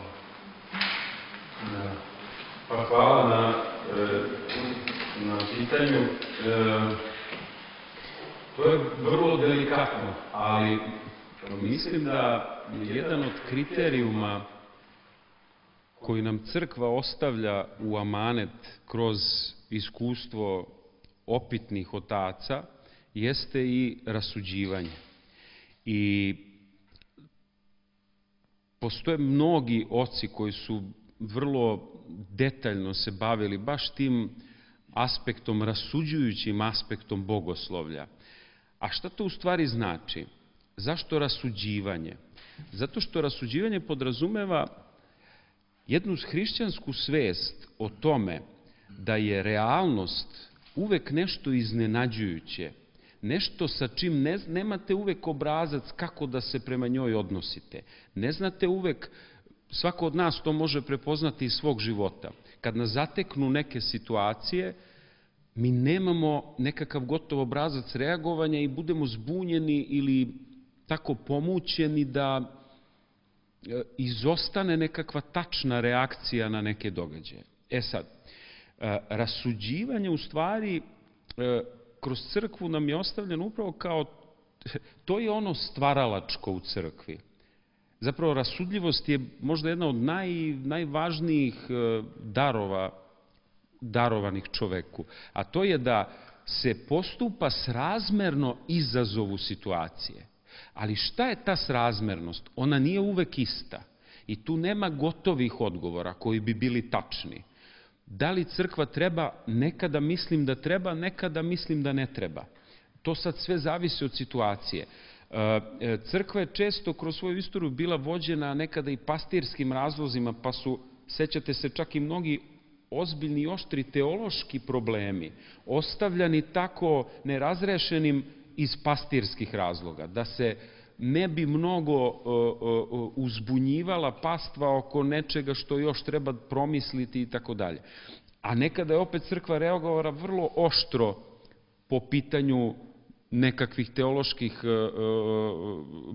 Speaker 1: Pa hvala na, na pitanju. To je vrlo delikatno, ali mislim da jedan od kriterijuma koji nam crkva ostavlja u amanet kroz iskustvo opitnih otaca jeste i rasuđivanje. I postoje mnogi oci koji su vrlo detaljno se bavili baš tim aspektom, rasuđujućim aspektom bogoslovlja. A šta to u stvari znači? Zašto rasuđivanje? Zato što rasuđivanje podrazumeva jednu hrišćansku svest o tome da je realnost uvek nešto iznenađujuće, nešto sa čim ne, nemate uvek obrazac kako da se prema njoj odnosite. Ne znate uvek, svako od nas to može prepoznati iz svog života. Kad nas zateknu neke situacije, mi nemamo nekakav gotov obrazac reagovanja i budemo zbunjeni ili tako pomućeni da izostane nekakva tačna reakcija na neke događaje. E sad, rasuđivanje u stvari kroz crkvu nam je ostavljeno upravo kao, to je ono stvaralačko u crkvi. Zapravo, rasudljivost je možda jedna od naj, najvažnijih darova, darovanih čoveku, a to je da se postupa srazmerno izazovu situacije. Ali šta je ta srazmernost? Ona nije uvek ista i tu nema gotovih odgovora koji bi bili tačni. Da li crkva treba? Nekada mislim da treba, nekada mislim da ne treba. To sad sve zavisi od situacije. Crkva je često kroz svoju istoriju bila vođena nekada i pastirskim razlozima, pa su, sećate se, čak i mnogi ozbiljni i oštri teološki problemi ostavljani tako nerazrešenim iz pastirskih razloga, da se ne bi mnogo uzbunjivala pastva oko nečega što još treba promisliti i tako dalje. A nekada je opet crkva reagovala vrlo oštro po pitanju nekakvih teoloških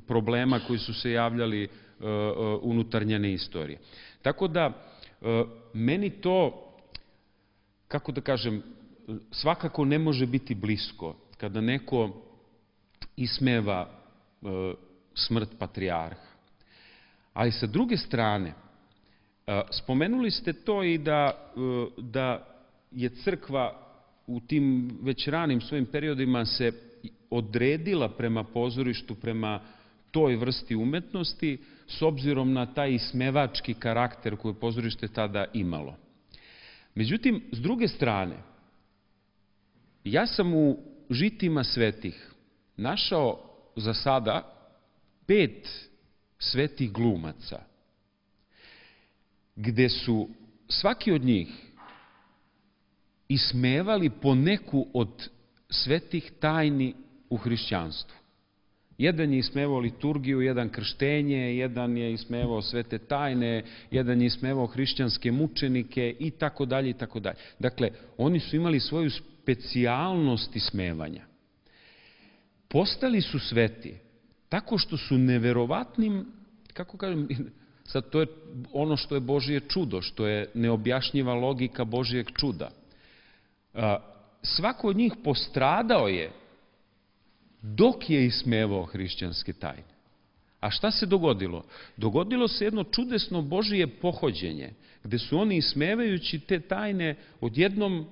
Speaker 1: problema koji su se javljali unutar njene istorije. Tako da, meni to, kako da kažem, svakako ne može biti blisko kada neko ismeva smrt patrijarha. Ali sa druge strane, spomenuli ste to i da, da je crkva u tim već ranim svojim periodima se odredila prema pozorištu, prema toj vrsti umetnosti, s obzirom na taj ismevački karakter koji je pozorište tada imalo. Međutim, s druge strane, ja sam u žitima svetih našao za sada pet svetih glumaca, gde su svaki od njih ismevali po neku od svetih tajni u hrišćanstvu. Jedan je ismevao liturgiju, jedan krštenje, jedan je ismevao svete tajne, jedan je ismevao hrišćanske mučenike i tako dalje i tako dalje. Dakle, oni su imali svoju specijalnost ismevanja. Postali su sveti tako što su neverovatnim, kako kažem, sad to je ono što je Božje čudo, što je neobjašnjiva logika Božjeg čuda. Svako od njih postradao je dok je ismevao hrišćanske tajne. A šta se dogodilo? Dogodilo se jedno čudesno Božije pohođenje, gde su oni ismevajući te tajne odjednom,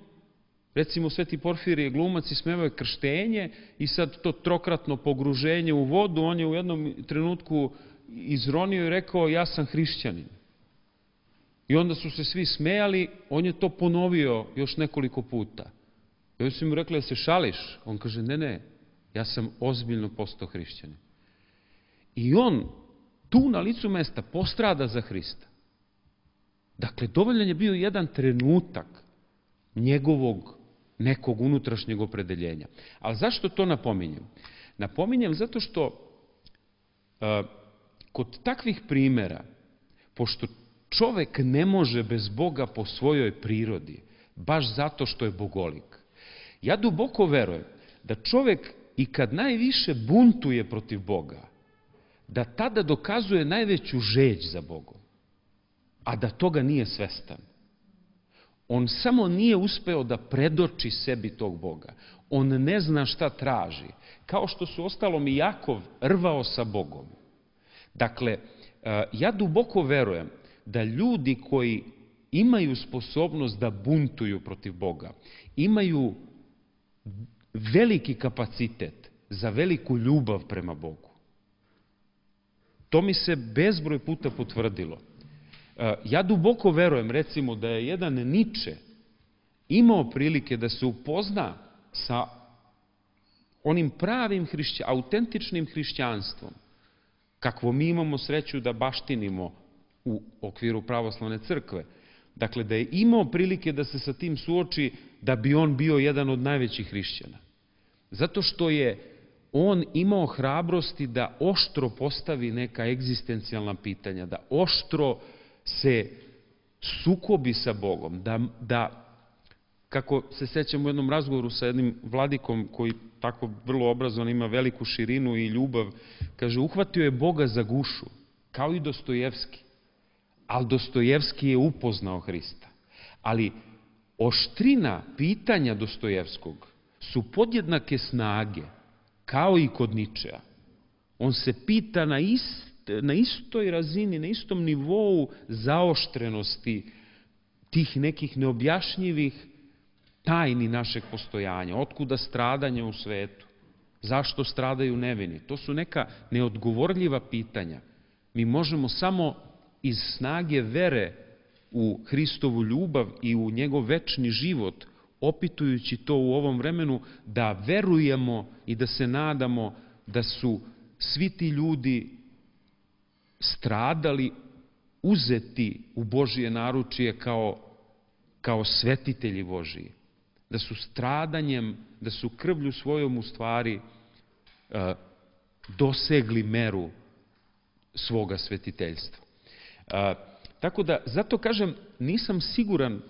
Speaker 1: recimo Sveti Porfirije Glumac ismevao je krštenje i sad to trokratno pogruženje u vodu, on je u jednom trenutku izronio i rekao ja sam hrišćanin. I onda su se svi smejali, on je to ponovio još nekoliko puta. I onda su mu rekli da se šališ. On kaže ne, ne, ja sam ozbiljno postao hrišćanin. I on tu na licu mesta postrada za Hrista. Dakle, dovoljan je bio jedan trenutak njegovog nekog unutrašnjeg opredeljenja. Ali zašto to napominjem? Napominjem zato što uh, kod takvih primjera, pošto čovek ne može bez Boga po svojoj prirodi, baš zato što je bogolik, ja duboko verujem da čovek i kad najviše buntuje protiv Boga, da tada dokazuje najveću žeđ za Bogom, a da toga nije svestan. On samo nije uspeo da predoči sebi tog Boga. On ne zna šta traži. Kao što su ostalom i Jakov rvao sa Bogom. Dakle, ja duboko verujem da ljudi koji imaju sposobnost da buntuju protiv Boga, imaju veliki kapacitet za veliku ljubav prema Bogu. To mi se bezbroj puta potvrdilo. Ja duboko verujem, recimo, da je jedan Niče imao prilike da se upozna sa onim pravim hrišća, autentičnim hrišćanstvom, kakvo mi imamo sreću da baštinimo u okviru pravoslavne crkve. Dakle, da je imao prilike da se sa tim suoči, da bi on bio jedan od najvećih hrišćana. Zato što je on imao hrabrosti da oštro postavi neka egzistencijalna pitanja, da oštro se sukobi sa Bogom, da, da, kako se sećam u jednom razgovoru sa jednim vladikom koji tako vrlo obrazovan, ima veliku širinu i ljubav, kaže, uhvatio je Boga za gušu, kao i Dostojevski, ali Dostojevski je upoznao Hrista. Ali oštrina pitanja Dostojevskog su podjednake snage, kao i kod Ničea. On se pita na ist, na istoj razini, na istom nivou zaoštrenosti tih nekih neobjašnjivih tajni našeg postojanja. Otkuda stradanje u svetu? Zašto stradaju nevini? To su neka neodgovorljiva pitanja. Mi možemo samo iz snage vere u Hristovu ljubav i u njegov večni život, opitujući to u ovom vremenu, da verujemo i da se nadamo da su svi ti ljudi stradali, uzeti u Božije naručije kao, kao svetitelji Božiji. Da su stradanjem, da su krvlju svojom u stvari uh, dosegli meru svoga svetiteljstva. Uh, tako da, zato kažem, nisam siguran uh,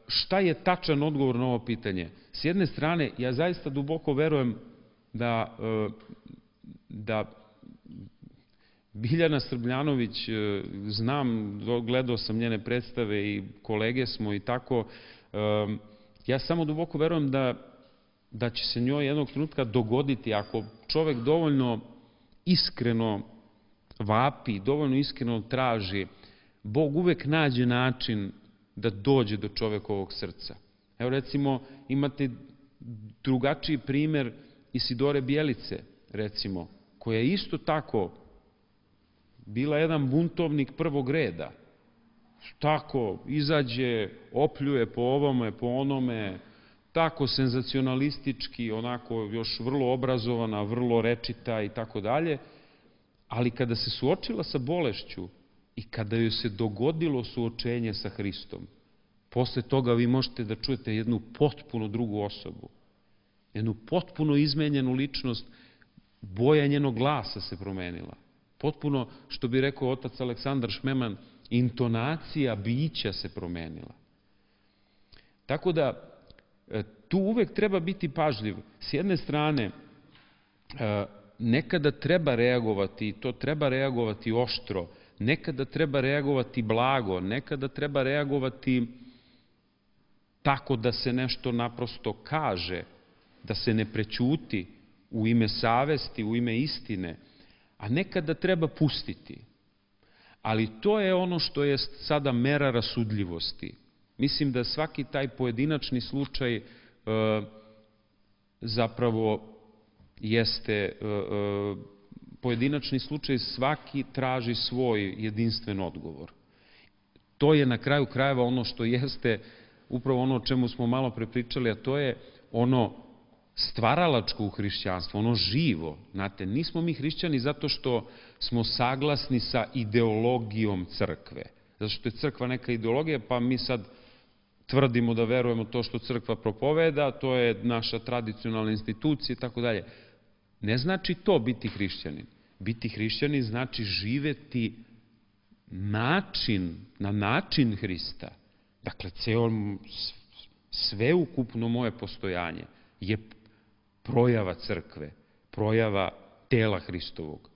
Speaker 1: šta je tačan odgovor na ovo pitanje. S jedne strane, ja zaista duboko verujem da, uh, da Biljana Srbljanović, znam, gledao sam njene predstave i kolege smo i tako, ja samo duboko verujem da, da će se njoj jednog trenutka dogoditi, ako čovek dovoljno iskreno vapi, dovoljno iskreno traži, Bog uvek nađe način da dođe do čovekovog srca. Evo recimo, imate drugačiji primer Isidore Bjelice, recimo, koja je isto tako bila jedan buntovnik prvog reda. Tako izađe, opljuje po ovome, po onome, tako senzacionalistički, onako još vrlo obrazovana, vrlo rečita i tako dalje, ali kada se suočila sa bolešću i kada joj se dogodilo suočenje sa Hristom, posle toga vi možete da čujete jednu potpuno drugu osobu, jednu potpuno izmenjenu ličnost, boja njenog glasa se promenila. Potpuno, što bi rekao otac Aleksandar Šmeman, intonacija bića se promenila. Tako da, tu uvek treba biti pažljiv. S jedne strane, nekada treba reagovati, i to treba reagovati oštro, nekada treba reagovati blago, nekada treba reagovati tako da se nešto naprosto kaže, da se ne prećuti u ime savesti, u ime istine, a nekada treba pustiti. Ali to je ono što je sada mera rasudljivosti. Mislim da svaki taj pojedinačni slučaj e, zapravo jeste e, e, pojedinačni slučaj, svaki traži svoj jedinstven odgovor. To je na kraju krajeva ono što jeste upravo ono o čemu smo malo prepričali, a to je ono stvaralačko u hrišćanstvu, ono živo. Znate, nismo mi hrišćani zato što smo saglasni sa ideologijom crkve. Zato što je crkva neka ideologija, pa mi sad tvrdimo da verujemo to što crkva propoveda, to je naša tradicionalna institucija i tako dalje. Ne znači to biti hrišćanin. Biti hrišćanin znači živeti način, na način Hrista. Dakle, ceo, sveukupno moje postojanje je projava crkve, projava tela Hristovog.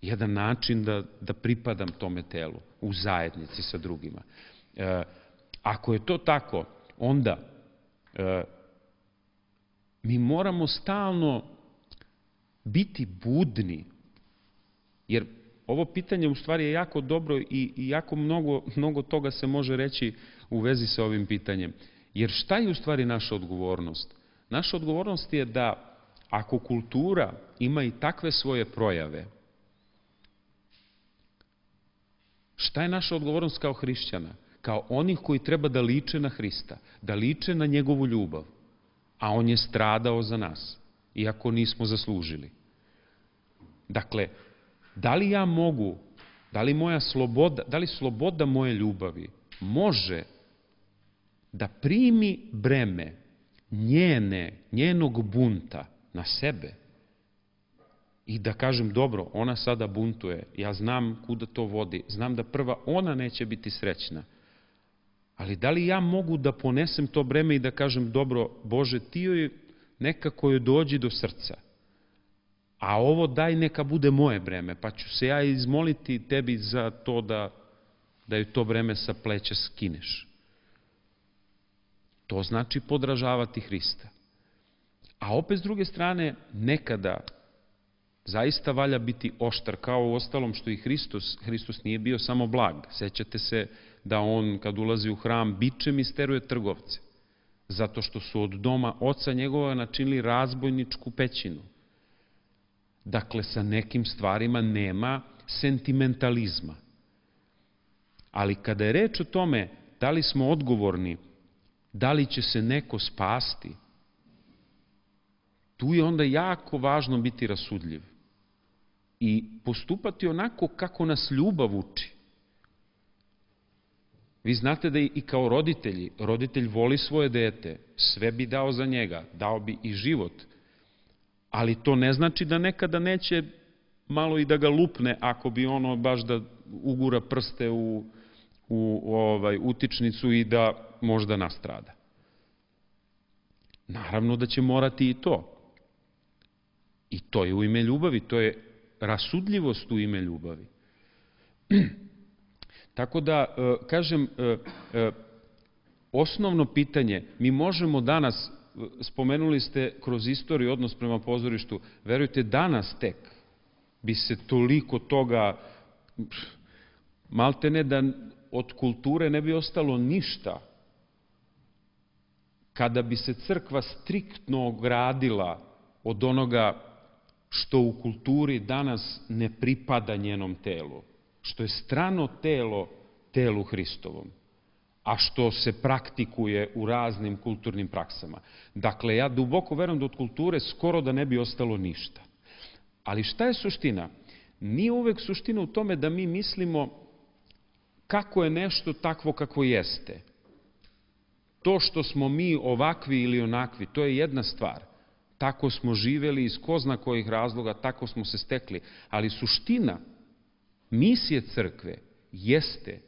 Speaker 1: Jedan način da, da pripadam tome telu, u zajednici sa drugima. E, ako je to tako, onda e, mi moramo stalno biti budni, jer ovo pitanje u stvari je jako dobro i, i jako mnogo, mnogo toga se može reći u vezi sa ovim pitanjem. Jer šta je u stvari naša odgovornost? Naša odgovornost je da ako kultura ima i takve svoje projave, šta je naša odgovornost kao hrišćana? Kao onih koji treba da liče na Hrista, da liče na njegovu ljubav, a on je stradao za nas, iako nismo zaslužili. Dakle, da li ja mogu, da li moja sloboda, da li sloboda moje ljubavi može da primi breme njene, njenog bunta na sebe i da kažem, dobro, ona sada buntuje, ja znam kuda to vodi, znam da prva ona neće biti srećna, ali da li ja mogu da ponesem to breme i da kažem, dobro, Bože, ti joj nekako joj dođi do srca, a ovo daj neka bude moje breme, pa ću se ja izmoliti tebi za to da, da joj to breme sa pleća skineš. To znači podražavati Hrista. A opet s druge strane, nekada zaista valja biti oštar, kao u ostalom što i Hristos. Hristos nije bio samo blag. Sećate se da on, kad ulazi u hram, bičem isteruje trgovce, zato što su od doma oca njegova načinili razbojničku pećinu. Dakle, sa nekim stvarima nema sentimentalizma. Ali kada je reč o tome da li smo odgovorni, da li će se neko spasti, tu je onda jako važno biti rasudljiv i postupati onako kako nas ljubav uči. Vi znate da i kao roditelji, roditelj voli svoje dete, sve bi dao za njega, dao bi i život, ali to ne znači da nekada neće malo i da ga lupne ako bi ono baš da ugura prste u, u ovaj, utičnicu i da možda nastrada. Naravno da će morati i to. I to je u ime ljubavi, to je rasudljivost u ime ljubavi. Tako da, kažem, osnovno pitanje, mi možemo danas, spomenuli ste kroz istoriju odnos prema pozorištu, verujte, danas tek bi se toliko toga, malte ne da od kulture ne bi ostalo ništa, kada bi se crkva striktno ogradila od onoga što u kulturi danas ne pripada njenom telu, što je strano telo telu Hristovom, a što se praktikuje u raznim kulturnim praksama. Dakle, ja duboko verujem da od kulture skoro da ne bi ostalo ništa. Ali šta je suština? Nije uvek suština u tome da mi mislimo kako je nešto takvo kako jeste. To što smo mi ovakvi ili onakvi, to je jedna stvar. tako smo živeli iz ko zna kojih razloga, tako smo se stekli. Ali suština misije crkve jeste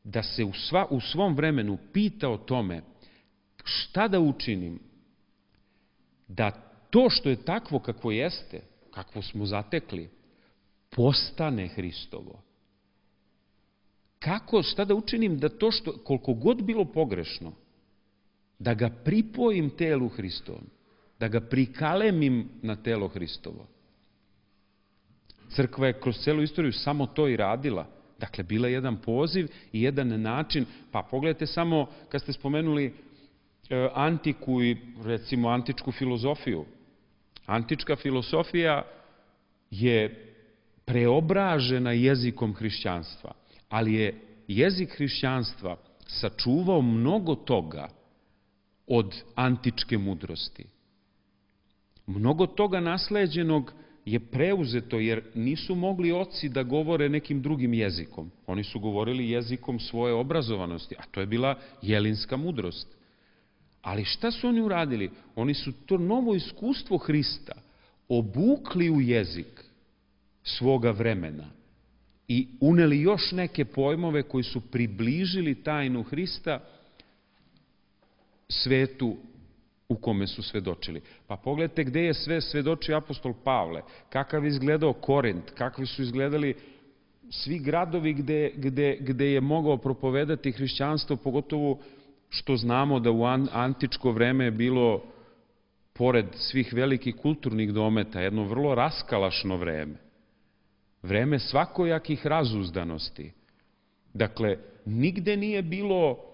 Speaker 1: da se u, sva, u svom vremenu pita o tome šta da učinim da to što je takvo kakvo jeste, kakvo smo zatekli, postane Hristovo. Kako, šta da učinim da to što, koliko god bilo pogrešno, da ga pripojim telu Hristovom, da ga prikalemim na telo Hristovo. Crkva je kroz celu istoriju samo to i radila. Dakle, bila je jedan poziv i jedan način, pa pogledajte samo kad ste spomenuli e, antiku i recimo antičku filozofiju. Antička filosofija je preobražena jezikom hrišćanstva, ali je jezik hrišćanstva sačuvao mnogo toga od antičke mudrosti. Mnogo toga nasleđenog je preuzeto, jer nisu mogli oci da govore nekim drugim jezikom. Oni su govorili jezikom svoje obrazovanosti, a to je bila jelinska mudrost. Ali šta su oni uradili? Oni su to novo iskustvo Hrista obukli u jezik svoga vremena i uneli još neke pojmove koji su približili tajnu Hrista svetu u kome su svedočili. Pa pogledajte gde je sve svedočio apostol Pavle, kakav je izgledao Korint, kakvi su izgledali svi gradovi gde, gde, gde je mogao propovedati hrišćanstvo, pogotovo što znamo da u antičko vreme je bilo, pored svih velikih kulturnih dometa, jedno vrlo raskalašno vreme. Vreme svakojakih razuzdanosti. Dakle, nigde nije bilo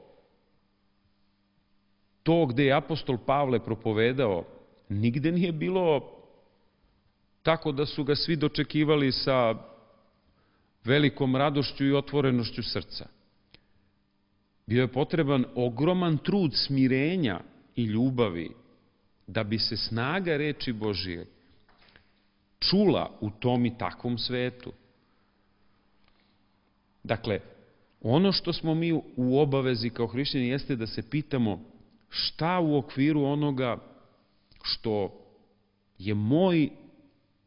Speaker 1: to gde je apostol Pavle propovedao, nigde nije bilo tako da su ga svi dočekivali sa velikom radošću i otvorenošću srca. Bio je potreban ogroman trud smirenja i ljubavi da bi se snaga reči Božije čula u tom i takvom svetu. Dakle, ono što smo mi u obavezi kao hrišćani jeste da se pitamo šta u okviru onoga što je moj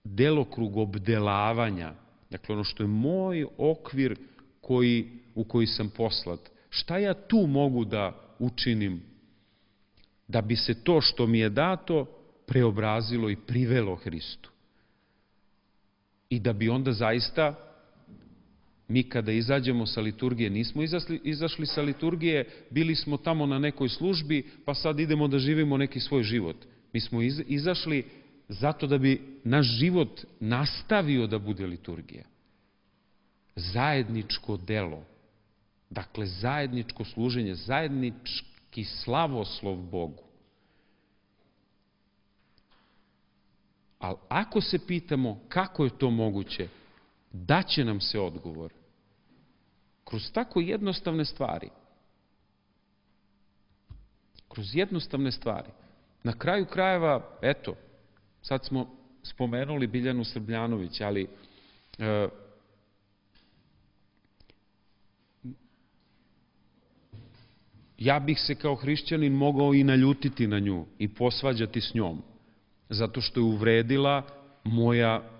Speaker 1: delokrug obdelavanja, dakle ono što je moj okvir koji, u koji sam poslat, šta ja tu mogu da učinim da bi se to što mi je dato preobrazilo i privelo Hristu. I da bi onda zaista mi kada izađemo sa liturgije, nismo izašli, izašli sa liturgije, bili smo tamo na nekoj službi, pa sad idemo da živimo neki svoj život. Mi smo iz, izašli zato da bi naš život nastavio da bude liturgija. Zajedničko delo, dakle zajedničko služenje, zajednički slavoslov Bogu. Ali ako se pitamo kako je to moguće, daće nam se odgovor kroz tako jednostavne stvari. Kroz jednostavne stvari. Na kraju krajeva, eto, sad smo spomenuli Biljanu Srbljanović, ali e, ja bih se kao hrišćanin mogao i naljutiti na nju i posvađati s njom, zato što je uvredila moja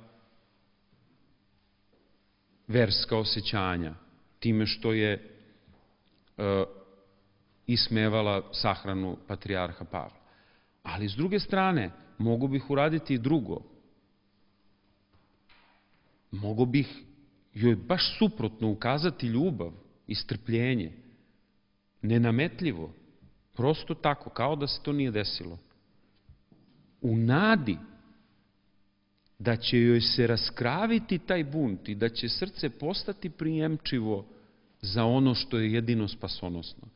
Speaker 1: verska osjećanja, time što je e, ismevala sahranu patrijarha Pavla. Ali s druge strane, mogu bih uraditi i drugo. Mogu bih joj baš suprotno ukazati ljubav i strpljenje, nenametljivo, prosto tako, kao da se to nije desilo. U nadi da će joj se raskraviti taj bunt i da će srce postati prijemčivo za ono što je jedino spasonosno.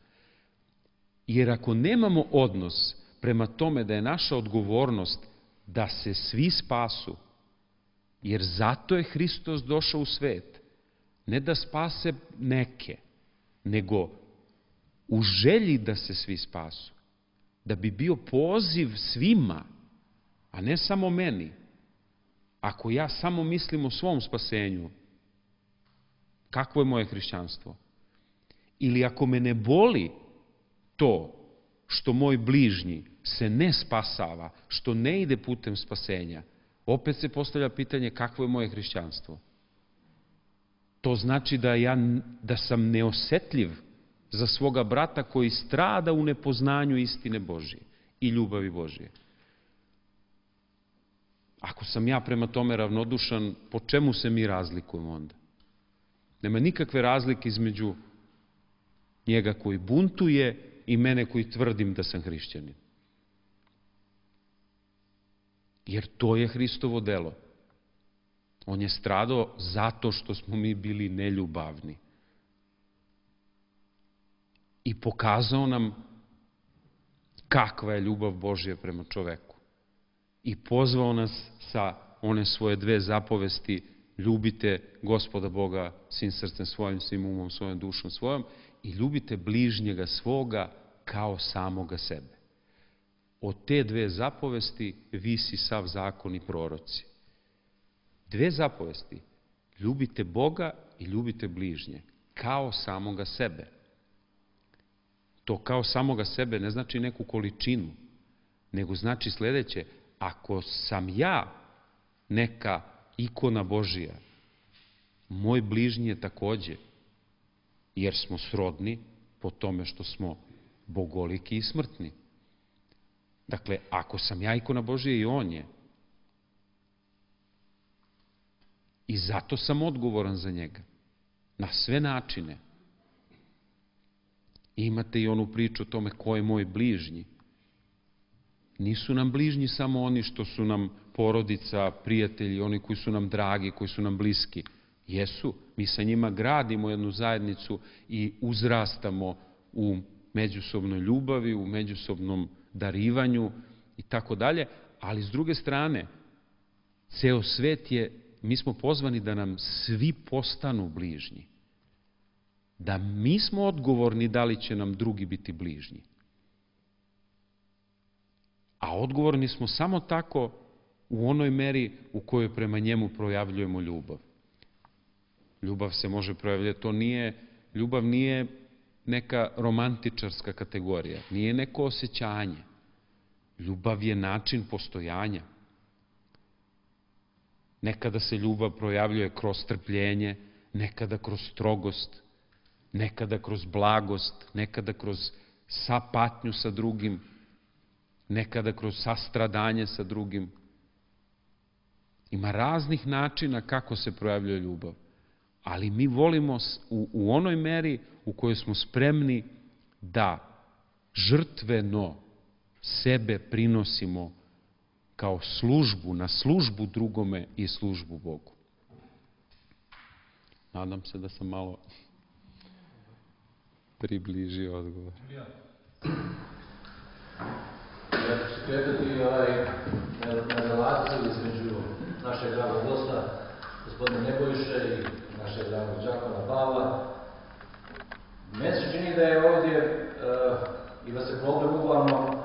Speaker 1: Jer ako nemamo odnos prema tome da je naša odgovornost da se svi spasu, jer zato je Hristos došao u svet, ne da spase neke, nego u želji da se svi spasu, da bi bio poziv svima, a ne samo meni. Ako ja samo mislim o svom spasenju, kakvo je moje hrišćanstvo? Ili ako me ne boli to što moj bližnji se ne spasava, što ne ide putem spasenja, opet se postavlja pitanje kakvo je moje hrišćanstvo. To znači da, ja, da sam neosetljiv za svoga brata koji strada u nepoznanju istine Božije i ljubavi Božije. Ako sam ja prema tome ravnodušan, po čemu se mi razlikujemo onda? Nema nikakve razlike između njega koji buntuje i mene koji tvrdim da sam hrišćanin. Jer to je Hristovo delo. On je stradao zato što smo mi bili neljubavni. I pokazao nam kakva je ljubav Božja prema čoveku. I pozvao nas sa one svoje dve zapovesti: ljubite Gospoda Boga svim srcem svojim, svim umom svojom, dušom svojom, i ljubite bližnjega svoga kao samoga sebe. Od te dve zapovesti visi sav zakon i proroci. Dve zapovesti: ljubite Boga i ljubite bližnje kao samoga sebe. To kao samoga sebe ne znači neku količinu, nego znači sledeće: ako sam ja neka ikona Božija, moj bližnji je takođe, jer smo srodni po tome što smo bogoliki i smrtni. Dakle, ako sam ja ikona Božija, i on je. I zato sam odgovoran za njega. Na sve načine. I imate i onu priču o tome ko je moj bližnji. Nisu nam bližnji samo oni što su nam porodica, prijatelji, oni koji su nam dragi, koji su nam bliski. Jesu, mi sa njima gradimo jednu zajednicu i uzrastamo u međusobnoj ljubavi, u međusobnom darivanju i tako dalje, ali s druge strane, ceo svet je, mi smo pozvani da nam svi postanu bližnji. Da mi smo odgovorni da li će nam drugi biti bližnji. A odgovorni smo samo tako u onoj meri u kojoj prema njemu projavljujemo ljubav. Ljubav se može projavljati, to nije, ljubav nije neka romantičarska kategorija, nije neko osjećanje. Ljubav je način postojanja. Nekada se ljubav projavljuje kroz strpljenje, nekada kroz strogost, nekada kroz blagost, nekada kroz sapatnju sa drugim, nekada kroz sastradanje sa drugim. Ima raznih načina kako se projavljuje ljubav, ali mi volimo u, u onoj meri u kojoj smo spremni da žrtveno sebe prinosimo kao službu, na službu drugome i službu Bogu. Nadam se da sam malo približio odgovor.
Speaker 4: Ja ću se kretati ovaj, na, na relaciju između našeg dragog gosta, gospodina Nebojše, i našeg dragog đakona Pavla. Meni se čini da je ovdje uh, i da se problem uglavnom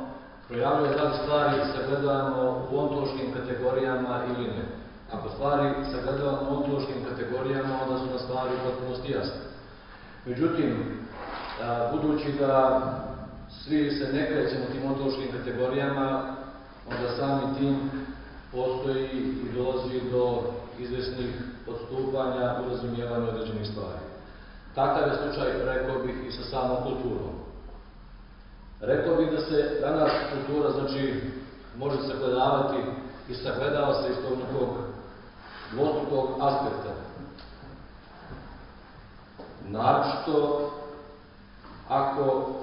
Speaker 4: projavljuje da li stvari sagledavamo u ontološkim kategorijama ili ne. Ako stvari sagledavamo u ontološkim kategorijama, onda su na stvari u potpunosti jasne. Međutim, uh, budući da svi se ne krećemo tim ontološkim kategorijama, onda sami tim postoji i dolazi do izvesnih odstupanja u razumijevanju određenih stvari. Takav je slučaj, rekao bih, i sa samom kulturom. Rekao bih da se danas kultura, znači, može sagledavati i sagledava se iz tog nekog dvostrukog aspekta. Naročito, ako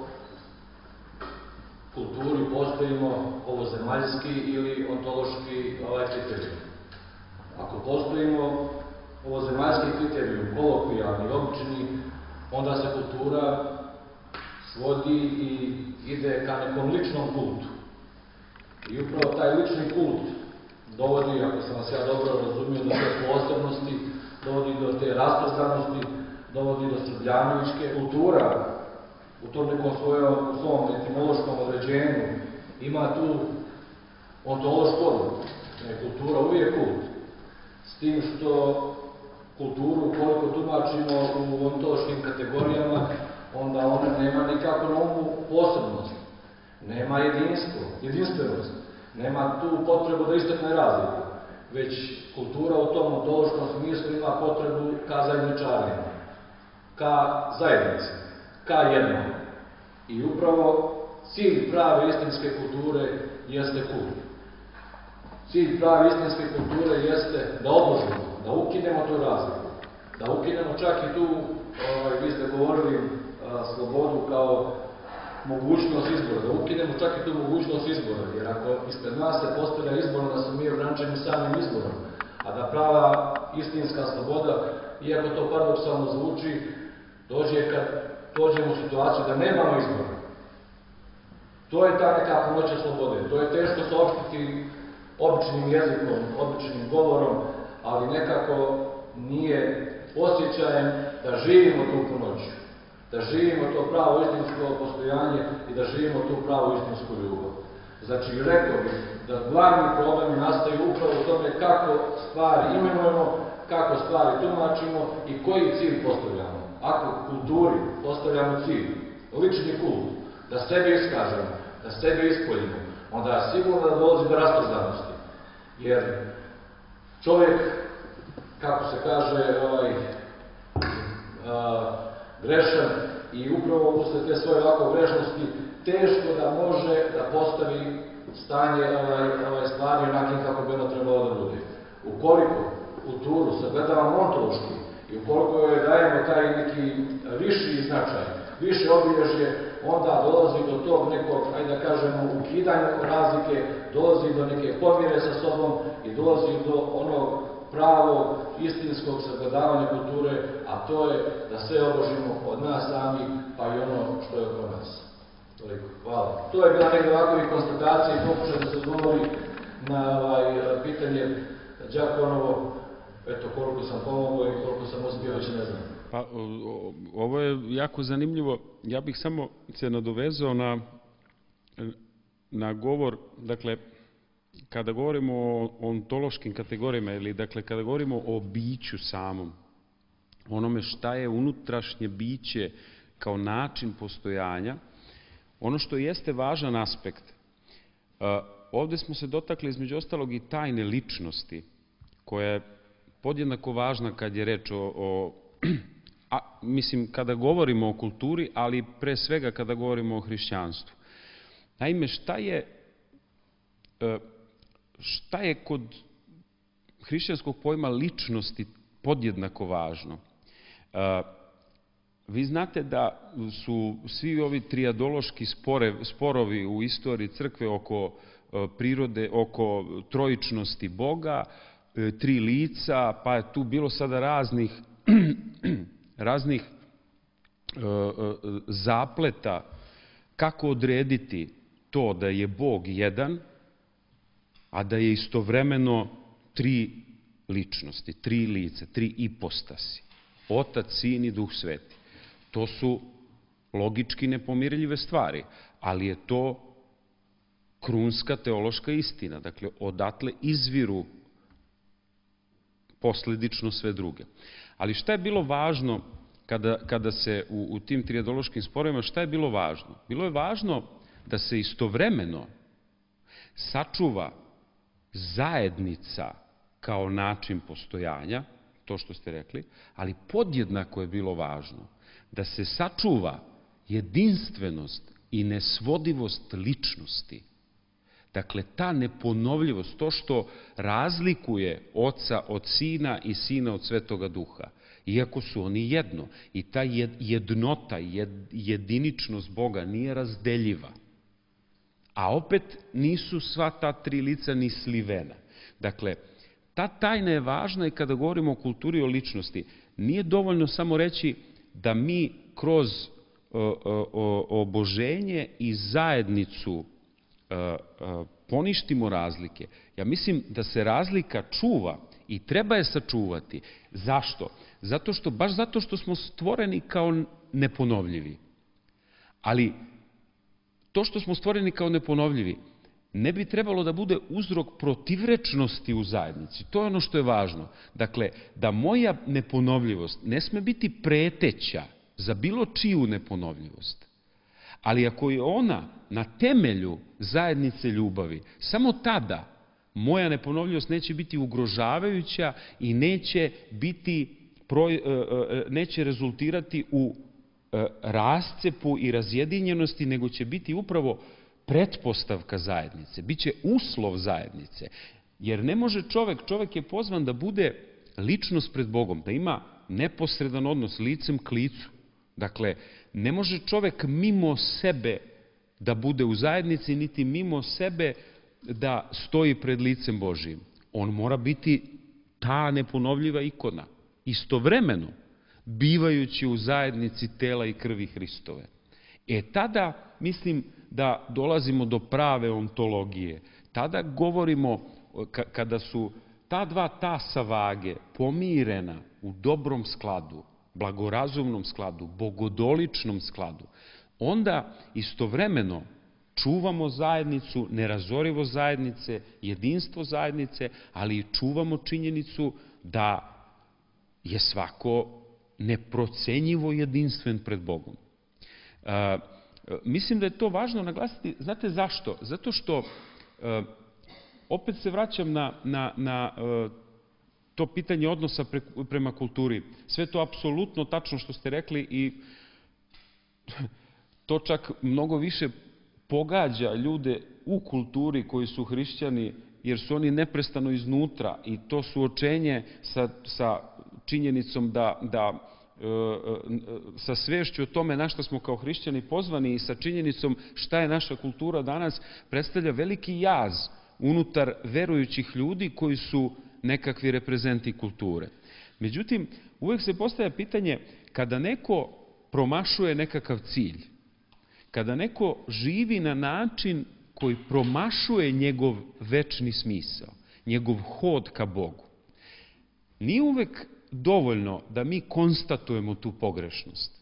Speaker 4: kulturi postojimo ovozemaljski ili ontološki ovaj kriterijum. Ako postojimo ovozemaljski kriterijum, kolokvijalni, obični, onda se kultura svodi i ide ka nekom ličnom kultu. I upravo taj lični kult dovodi, ako sam vas ja dobro razumio, do te posebnosti, dovodi do te rasprostrannosti, dovodi do srbljanovičke kultura. U tom nekom svojom, u svom etimološkom određenju ima tu ontološku odluku. Kultura uvijek kult. S tim što kulturu, koliko tumačimo u ontološkim kategorijama, onda ona nema nikako na umu posebnost. nema jedinstvo, jedinstvenost, nema tu potrebu da istakne razliku, već kultura u tom ontološkom smislu ima potrebu ka zajedničarenju, ka zajednici, ka jednom. I upravo cilj prave istinske kulture jeste kult. Cilj prave istinske kulture jeste da odložimo, da ukinemo tu razliku, da ukinemo čak i tu, ovaj, vi ste govorili, a, slobodu kao mogućnost izbora, da ukinemo čak i tu mogućnost izbora, jer ako ispred nas se postavlja izbor, da smo mi ograničeni samim izborom, a da prava istinska sloboda, iako to paradoksalno zvuči, dođe kad dođemo u situaciju da nemamo izbora. To je ta neka punoća slobode, to je teško saopštiti običnim jezikom, običnim govorom, ali nekako nije osjećajem da živimo tu punoću, da živimo to pravo istinsko postojanje i da živimo tu pravo istinsku ljubav. Znači, rekao bih da glavni problemi nastaju upravo u tome kako stvari imenujemo, kako stvari tumačimo i koji cilj postavljamo. Ako u kulturi postavljamo cilj, lični kult, da sebe iskažemo, da sebe ispoljimo, onda sigurno da dolazi do rastrozanosti. Jer čovjek, kako se kaže, ovaj, a, grešan i upravo usled te svoje ovako grešnosti, teško da može da postavi stanje ovaj, ovaj stvari onakim kako bi ono trebalo da bude. Ukoliko kulturu sagledavamo ontološki i ukoliko joj dajemo taj neki viši značaj, više obilježje, onda dolazi do tog nekog, ajde da kažemo, ukidanja razlike, dolazi do neke pomire sa sobom i dolazi do onog pravog, istinskog sagledavanja kulture, a to je da sve obožimo od nas sami, pa i ono što je oko nas. Toliko. Hvala. To je bila neka ovakva konstatacija i pokušaj da se odgovori na ovaj, pitanje Đakonovo, eto koliko sam pomogao i koliko sam uspio, već ne znam.
Speaker 1: Pa, ovo je jako zanimljivo. Ja bih samo se nadovezao na, na govor, dakle, kada govorimo o ontološkim kategorijama ili dakle kada govorimo o biću samom, onome šta je unutrašnje biće kao način postojanja, ono što jeste važan aspekt, ovdje smo se dotakli između ostalog i tajne ličnosti, koja je podjednako važna kad je reč o, o a, mislim, kada govorimo o kulturi, ali pre svega kada govorimo o hrišćanstvu. Naime, šta je, šta je kod hrišćanskog pojma ličnosti podjednako važno? Vi znate da su svi ovi trijadološki spore, sporovi u istoriji crkve oko prirode, oko trojičnosti Boga, tri lica, pa je tu bilo sada raznih, raznih zapleta kako odrediti to da je Bog jedan, a da je istovremeno tri ličnosti, tri lice, tri ipostasi. Otac, Sin i Duh Sveti. To su logički nepomirljive stvari, ali je to krunska teološka istina. Dakle, odatle izviru posledično sve druge. Ali šta je bilo važno kada, kada se u, u tim trijadološkim sporovima, šta je bilo važno? Bilo je važno da se istovremeno sačuva zajednica kao način postojanja, to što ste rekli, ali podjednako je bilo važno da se sačuva jedinstvenost i nesvodivost ličnosti. Dakle, ta neponovljivost, to što razlikuje Oca od Sina i Sina od Svetoga Duha, iako su oni jedno. I ta jednota, jediničnost Boga nije razdeljiva. A opet nisu sva ta tri lica ni slivena. Dakle, ta tajna je važna i kada govorimo o kulturi i o ličnosti. Nije dovoljno samo reći da mi kroz oboženje i zajednicu poništimo razlike. Ja mislim da se razlika čuva i treba je sačuvati. Zašto? Zato što, baš zato što smo stvoreni kao neponovljivi. Ali to što smo stvoreni kao neponovljivi ne bi trebalo da bude uzrok protivrečnosti u zajednici. To je ono što je važno. Dakle, da moja neponovljivost ne sme biti preteća za bilo čiju neponovljivost. Ali ako je ona na temelju zajednice ljubavi, samo tada moja neponovljivost neće biti ugrožavajuća i neće biti, neće rezultirati u rascepu i razjedinjenosti, nego će biti upravo pretpostavka zajednice, biće uslov zajednice. Jer ne može čovek, čovek je pozvan da bude ličnost pred Bogom, da ima neposredan odnos licem k licu. Dakle, ne može čovek mimo sebe da bude u zajednici, niti mimo sebe da stoji pred licem Božijim. On mora biti ta neponovljiva ikona, istovremeno bivajući u zajednici tela i krvi Hristove. E tada, mislim da dolazimo do prave ontologije. Tada govorimo, kada su ta dva tasa vage pomirena u dobrom skladu, blagorazumnom skladu, bogodoličnom skladu, onda istovremeno čuvamo zajednicu, nerazorivo zajednice, jedinstvo zajednice, ali i čuvamo činjenicu da je svako neprocenjivo jedinstven pred Bogom. E, mislim da je to važno naglasiti. Znate zašto? Zato što, e, opet se vraćam na, na, na e, to pitanje odnosa pre, prema kulturi. Sve to apsolutno tačno što ste rekli i to čak mnogo više pogađa ljude u kulturi koji su hrišćani, jer su oni neprestano iznutra i to suočenje sa, sa činjenicom da, da e, sa svešću o tome na šta smo kao hrišćani pozvani i sa činjenicom šta je naša kultura danas predstavlja veliki jaz unutar verujućih ljudi koji su nekakvi reprezenti kulture. Međutim, uvek se postavlja pitanje, kada neko promašuje nekakav cilj, kada neko živi na način koji promašuje njegov večni smisao, njegov hod ka Bogu, nije uvek dovoljno da mi konstatujemo tu pogrešnost.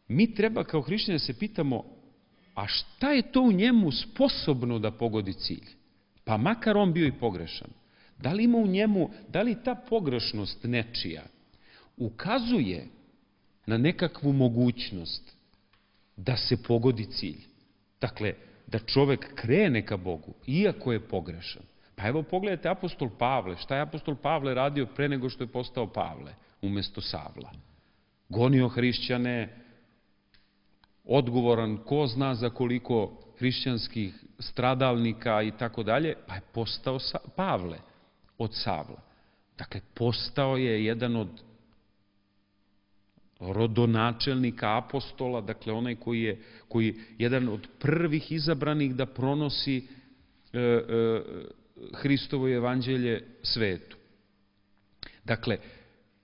Speaker 1: Mi treba kao hrišćani se pitamo, a šta je to u njemu sposobno da pogodi cilj? Pa makar on bio i pogrešan. Da li ima u njemu, da li ta pogrešnost nečija ukazuje na nekakvu mogućnost da se pogodi cilj? Dakle, da čovek krene ka Bogu, iako je pogrešan. Pa evo pogledajte apostol Pavle. Šta je apostol Pavle radio pre nego što je postao Pavle, umesto Savla? Gonio hrišćane, odgovoran ko zna za koliko hrišćanskih stradalnika i tako dalje, pa je postao Pavle od Savla. Dakle, postao je jedan od rodonačelnika apostola, dakle onaj koji je koji jedan od prvih izabranih da pronosi e, e, Hristovo evanđelje svetu. Dakle,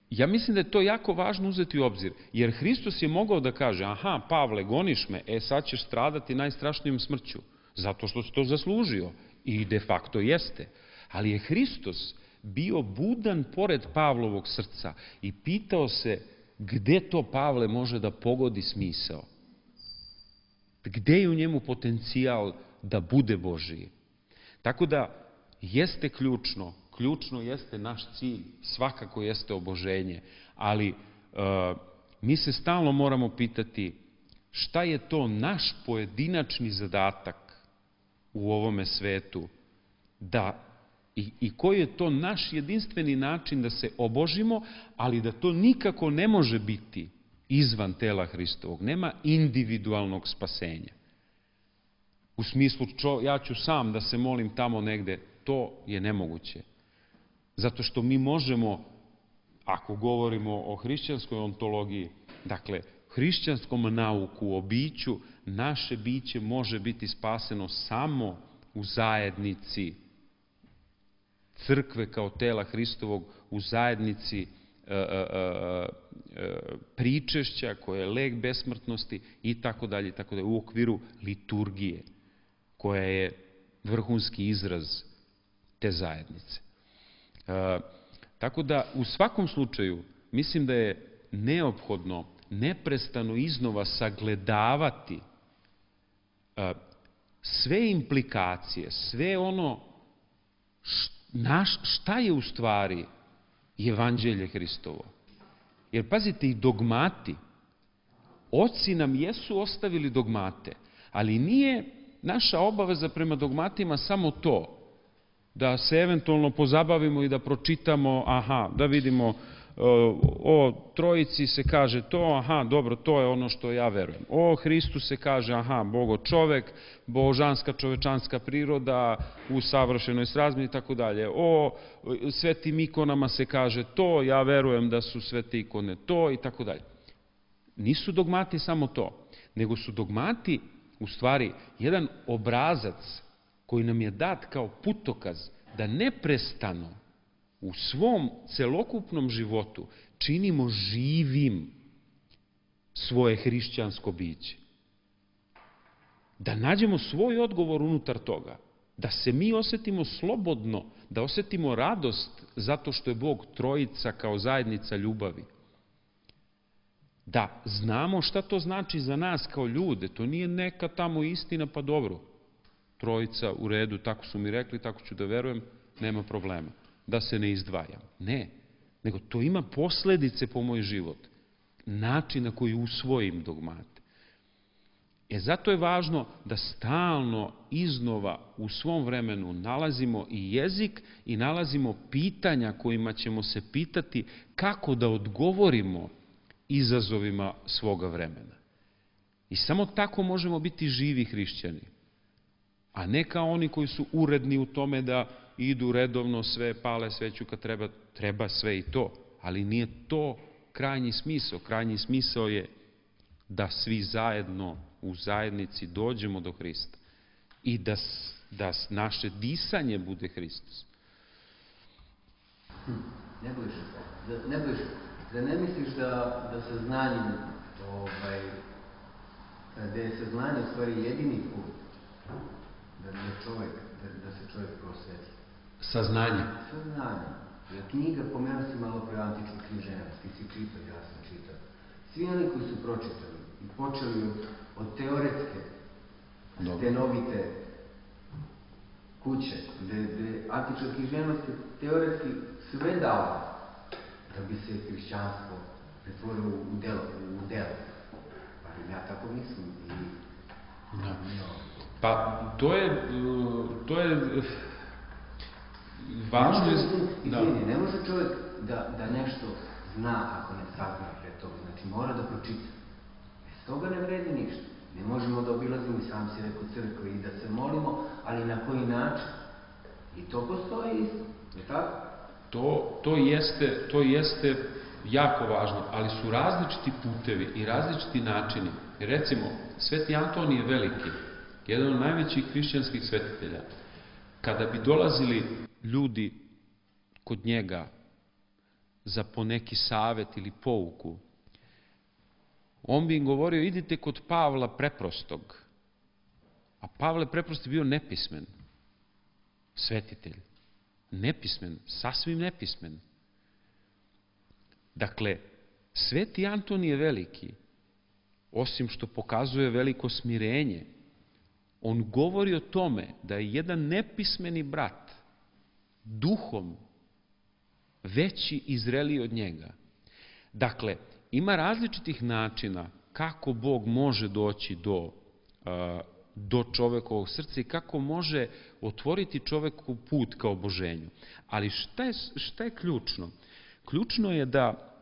Speaker 1: ja mislim da je to jako važno uzeti u obzir, jer Hristos je mogao da kaže, aha, Pavle, goniš me, e sad ćeš stradati najstrašnijom smrću, zato što si to zaslužio, i de facto jeste. Ali je Hristos bio budan pored Pavlovog srca i pitao se gde to Pavle može da pogodi smisao? Gde je u njemu potencijal da bude Božiji? Tako da jeste ključno, ključno jeste naš cilj, svakako jeste oboženje, ali e, mi se stalno moramo pitati šta je to naš pojedinačni zadatak u ovome svetu, da I, i koji je to naš jedinstveni način da se obožimo, ali da to nikako ne može biti izvan tela Hristovog. Nema individualnog spasenja. U smislu, čo, ja ću sam da se molim tamo negde, to je nemoguće. Zato što mi možemo, ako govorimo o hrišćanskoj ontologiji, dakle, hrišćanskom nauku o biću, naše biće može biti spaseno samo u zajednici crkve kao tela Hristovog, u zajednici e, e, e, pričešća koje je lek besmrtnosti i tako dalje, i tako dalje, u okviru liturgije koja je vrhunski izraz te zajednice. E, tako da u svakom slučaju mislim da je neophodno neprestano iznova sagledavati e, sve implikacije, sve ono što Naš, šta je u stvari evanđelje Hristovo? Jer pazite, i dogmati Oci nam jesu ostavili dogmate, ali nije naša obaveza prema dogmatima samo to, da se eventualno pozabavimo i da pročitamo, aha, da vidimo o Trojici se kaže to, aha, dobro, to je ono što ja verujem. O Hristu se kaže, aha, Bogo čovek, božanska čovečanska priroda u savršenoj srazmeri i tako dalje. O svetim ikonama se kaže to, ja verujem da su svete ikone to i tako dalje. Nisu dogmati samo to, nego su dogmati u stvari jedan obrazac koji nam je dat kao putokaz da neprestano u svom celokupnom životu činimo živim svoje hrišćansko biće. Da nađemo svoj odgovor unutar toga, da se mi osetimo slobodno, da osetimo radost zato što je Bog Trojica kao zajednica ljubavi. Da znamo šta to znači za nas kao ljude, to nije neka tamo istina, pa dobro, Trojica u redu, tako su mi rekli, tako ću da verujem, nema problema. Da se ne izdvajam. Ne, nego to ima posledice po moj život. Način na koji usvojim dogmate. E zato je važno da stalno iznova u svom vremenu nalazimo i jezik i nalazimo pitanja kojima ćemo se pitati kako da odgovorimo izazovima svoga vremena. I samo tako možemo biti živi hrišćani. A ne kao oni koji su uredni u tome da idu redovno sve, pale sveću kad treba, treba sve i to. Ali nije to krajnji smisao. Krajnji smisao je da svi zajedno u zajednici dođemo do Hrista i da, da naše disanje bude Hristos.
Speaker 6: Ne bojiš, da, ne bojiš, da ne misliš da, da saznanjem, ovaj, da je saznanje u stvari jedini put, da je čovjek, da, da se čovjek prosveti.
Speaker 1: Saznanje.
Speaker 6: Saznanje. Jer knjiga, pomenuo si malo pre antičku književnost, ti si čitao, ja sam čitao. Svi oni koji su pročitali i počeli od, od teoretske, Dobre. stenovite kuće, gde, gde antička književnost je teoretski sve dala da bi se hrišćanstvo pretvorilo u delo. U delo. Pa ja tako mislim. I,
Speaker 1: da. Pa to je, to je važno...
Speaker 6: Ne može, izvini, ne može čovjek da, da nešto zna ako ne sazna pre toga. Znači mora da pročita. Bez toga ne vredi ništa. Ne možemo da obilazimo i sam si rekao crkve i da se molimo, ali na koji način? I to postoji isto. Je tako?
Speaker 1: To, to, jeste, to jeste jako važno, ali su različiti putevi i različiti načini. Recimo, Sveti Antonije Veliki, jedan od najvećih hrišćanskih svetitelja, kada bi dolazili ljudi kod njega za poneki savet ili pouku, on bi im govorio, idite kod Pavla Preprostog. A Pavle Preprost je bio nepismen svetitelj. Nepismen, sasvim nepismen. Dakle, Sveti Antonije Veliki, osim što pokazuje veliko smirenje, on govori o tome da je jedan nepismeni brat duhom veći i zreliji od njega. Dakle, ima različitih načina kako Bog može doći do, do čovekovog srca i kako može otvoriti čoveku put ka oboženju. Ali šta je, šta je ključno? Ključno je da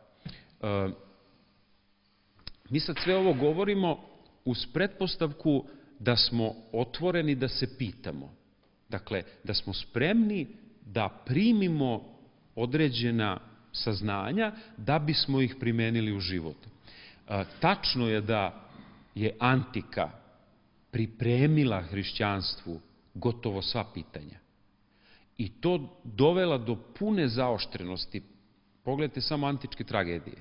Speaker 1: mi sad sve ovo govorimo uz pretpostavku da smo otvoreni da se pitamo. Dakle, da smo spremni da primimo određena saznanja da bismo ih primenili u životu. Tačno je da je antika pripremila hrišćanstvu gotovo sva pitanja. I to dovela do pune zaoštrenosti. Pogledajte samo antičke tragedije.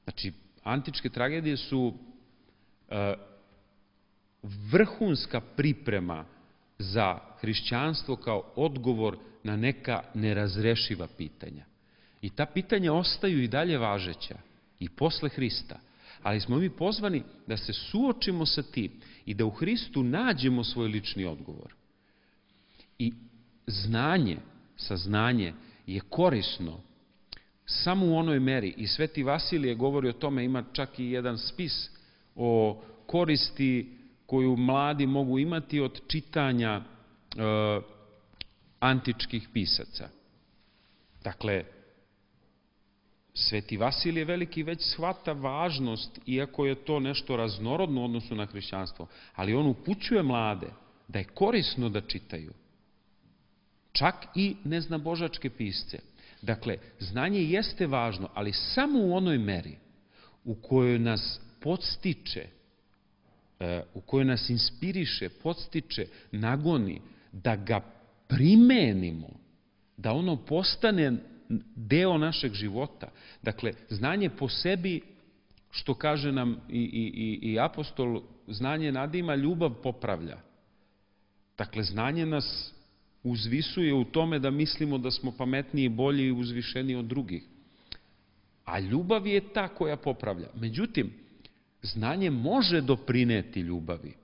Speaker 1: Znači, antičke tragedije su e, vrhunska priprema za hrišćanstvo kao odgovor na neka nerazrešiva pitanja. I ta pitanja ostaju i dalje važeća i posle Hrista. Ali smo mi pozvani da se suočimo sa tim i da u Hristu nađemo svoj lični odgovor. I znanje, saznanje je korisno samo u onoj meri. I Sveti Vasilije govori o tome, ima čak i jedan spis o koristi koju mladi mogu imati od čitanja e, antičkih pisaca. Dakle, Sveti Vasilije Veliki već shvata važnost, iako je to nešto raznorodno u odnosu na hrišćanstvo, ali on upućuje mlade da je korisno da čitaju. Čak i neznabožačke pisce. Dakle, znanje jeste važno, ali samo u onoj meri u kojoj nas podstiče, u kojoj nas inspiriše, podstiče, nagoni, da ga primenimo, da ono postane deo našeg života. Dakle, znanje po sebi, što kaže nam i, i, i apostol, znanje nadima, ljubav popravlja. Dakle, znanje nas uzvisuje u tome da mislimo da smo pametniji, bolji i uzvišeniji od drugih. A ljubav je ta koja popravlja. Međutim, znanje može doprineti ljubavi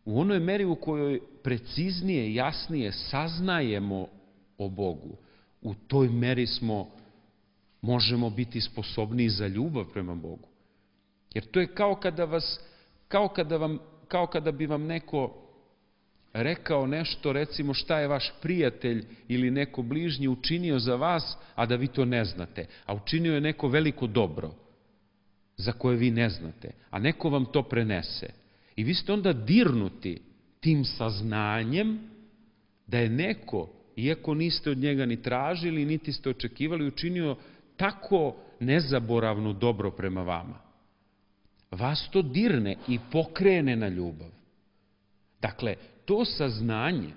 Speaker 1: u onoj meri u kojoj preciznije, jasnije saznajemo o Bogu. U toj meri smo, možemo biti sposobniji za ljubav prema Bogu. Jer to je kao kada vas, kao kada vam, kao kada bi vam neko rekao nešto, recimo šta je vaš prijatelj ili neko bližnji učinio za vas, a da vi to ne znate. A učinio je neko veliko dobro za koje vi ne znate, a neko vam to prenese. I vi ste onda dirnuti tim saznanjem da je neko, iako niste od njega ni tražili, niti ste očekivali, učinio tako nezaboravno dobro prema vama. Vas to dirne i pokrene na ljubav. Dakle, to saznanje,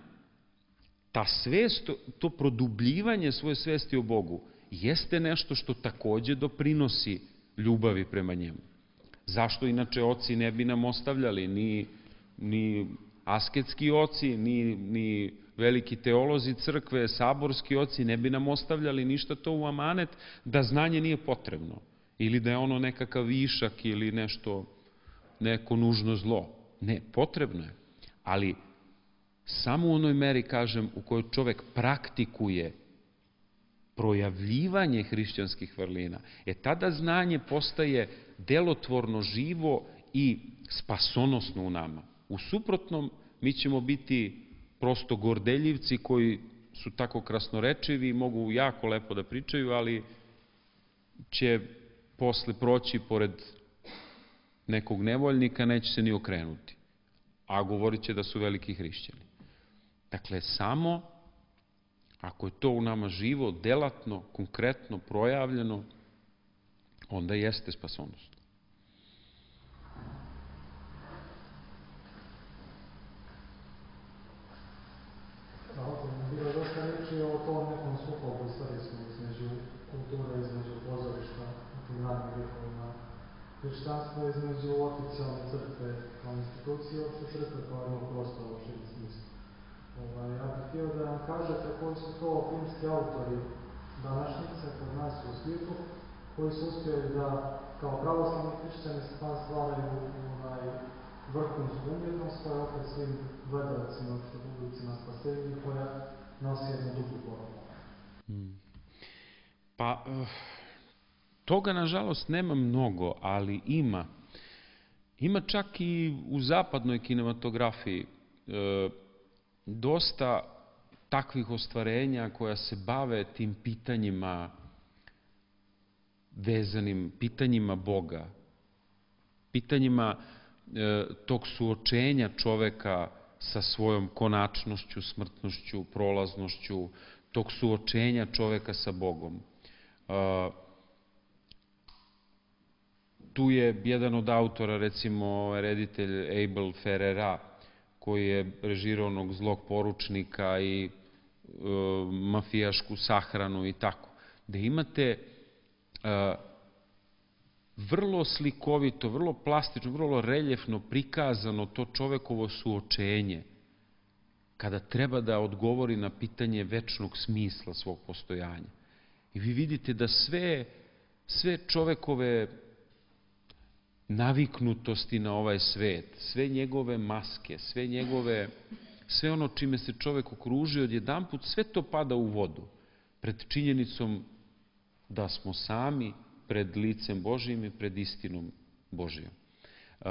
Speaker 1: ta svest, to produbljivanje svoje svesti o Bogu, jeste nešto što takođe doprinosi ljubavi prema njemu. Zašto inače oci ne bi nam ostavljali, ni, ni asketski oci, ni, ni veliki teolozi crkve, saborski oci, ne bi nam ostavljali ništa to u amanet da znanje nije potrebno ili da je ono nekakav višak ili nešto, neko nužno zlo. Ne, potrebno je, ali samo u onoj meri, kažem, u kojoj čovek praktikuje projavljivanje hrišćanskih vrlina, e tada znanje postaje delotvorno, živo i spasonosno u nama. U suprotnom, mi ćemo biti prosto gordeljivci koji su tako krasnorečivi i mogu jako lepo da pričaju, ali će posle proći pored nekog nevoljnika, neće se ni okrenuti, a govorit će da su veliki hrišćani. Dakle, samo ako je to u nama živo, delatno, konkretno, projavljeno, onda jeste spasonosno.
Speaker 7: Bilo je dosta reći o tom nekom sukobu istorijskom između kulture, između pozorišta u tim ranim vjekovima. Hrišćanstvo između oficijalne crkve kao institucije, opšte crkve kao jednog prostora u širem smislu. Ovaj, ja bih htio da nam kažete koji su to filmski autori današnjice kod nas u svijetu, koji su uspjeli da kao pravoslavni hrišćani stvaraju ovaj, vrhunsku umjetnost koja opet svim gledalcima, što publicima spasenju, koja nosi jednu dugu poruku.
Speaker 1: Hmm. Pa, toga nažalost nema mnogo, ali ima. Ima čak i u zapadnoj kinematografiji e, dosta takvih ostvarenja koja se bave tim pitanjima vezanim, pitanjima Boga, pitanjima e, tog suočenja čoveka sa svojom konačnošću, smrtnošću, prolaznošću, tog suočenja čoveka sa Bogom. E, tu je jedan od autora, recimo reditelj Abel Ferrara, koji je režirao onog zlog poručnika i e, mafijašku sahranu i tako. Da imate e, vrlo slikovito, vrlo plastično, vrlo reljefno prikazano to čovekovo suočenje kada treba da odgovori na pitanje večnog smisla svog postojanja. I vi vidite da sve, sve čovekove naviknutosti na ovaj svet, sve njegove maske, sve njegove, sve ono čime se čovek okružio odjedanput, sve to pada u vodu pred činjenicom da smo sami pred licem Božijim i pred istinom Božijom. E,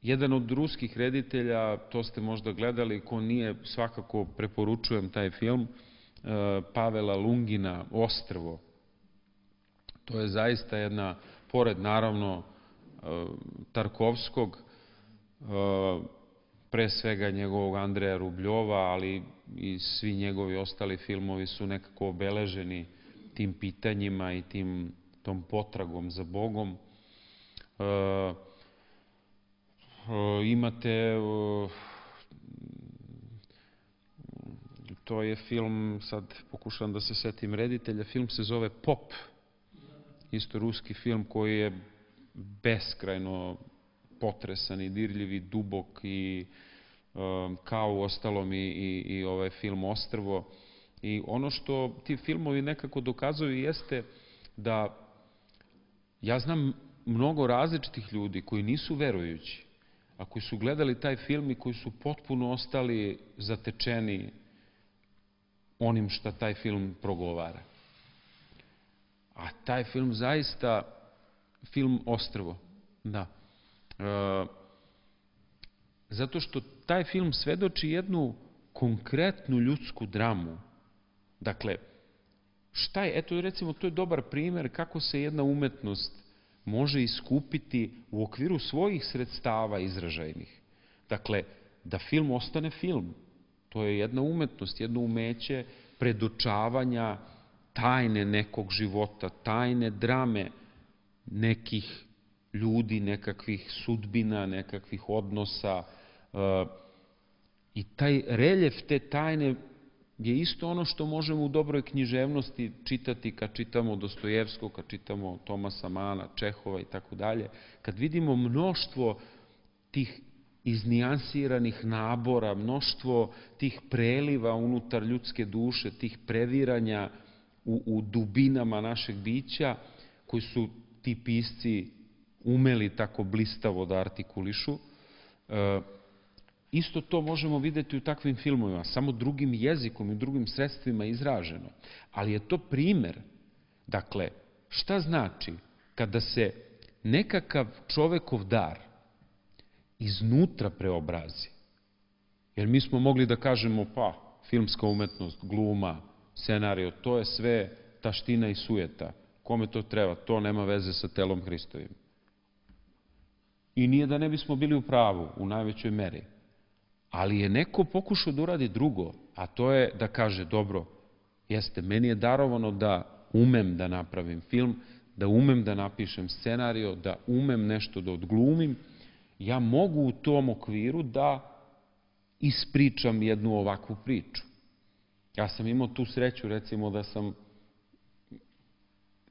Speaker 1: Jedan od ruskih reditelja, to ste možda gledali, ko nije, svakako preporučujem taj film, Pavela Lungina, Ostrvo. To je zaista jedna, pored naravno Tarkovskog, pre svega njegovog Andreja Rubljova, ali i svi njegovi ostali filmovi su nekako obeleženi tim pitanjima i tim, tom potragom za Bogom. Imate, to je film, sad pokušavam da se setim reditelja, film se zove Pop, isto ruski film koji je beskrajno potresan i dirljiv i dubok i kao u ostalom i, i, i ovaj film Ostrvo. I ono što ti filmovi nekako dokazuju jeste da ja znam mnogo različitih ljudi koji nisu verujući, a koji su gledali taj film i koji su potpuno ostali zatečeni onim šta taj film progovara. A taj film zaista, film Ostrvo, da. E, zato što taj film svedoči jednu konkretnu ljudsku dramu. Dakle, šta je, eto recimo, to je dobar primer kako se jedna umetnost može iskupiti u okviru svojih sredstava izražajnih. Dakle, da film ostane film. To je jedna umetnost, jedno umeće predočavanja tajne nekog života, tajne drame nekih ljudi, nekakvih sudbina, nekakvih odnosa. I taj reljef te tajne je isto ono što možemo u dobroj književnosti čitati kad čitamo Dostojevskog, kad čitamo Tomasa Mana, Čehova i tako dalje. Kad vidimo mnoštvo tih iznijansiranih nabora, mnoštvo tih preliva unutar ljudske duše, tih previranja u, u dubinama našeg bića, koji su ti pisci umeli tako blistavo da artikulišu, e, isto to možemo videti u takvim filmovima, samo drugim jezikom i drugim sredstvima izraženo. Ali je to primer. Dakle, šta znači kada se nekakav čovekov dar iznutra preobrazi? Jer mi smo mogli da kažemo, pa, filmska umetnost, gluma, scenario, to je sve taština i sujeta. Kome to treba? To nema veze sa telom Hristovim. I nije da ne bismo bili u pravu, u najvećoj meri. Ali je neko pokušao da uradi drugo, a to je da kaže, dobro, jeste, meni je darovano da umem da napravim film, da umem da napišem scenario, da umem nešto da odglumim, ja mogu u tom okviru da ispričam jednu ovakvu priču. Ja sam imao tu sreću, recimo, da sam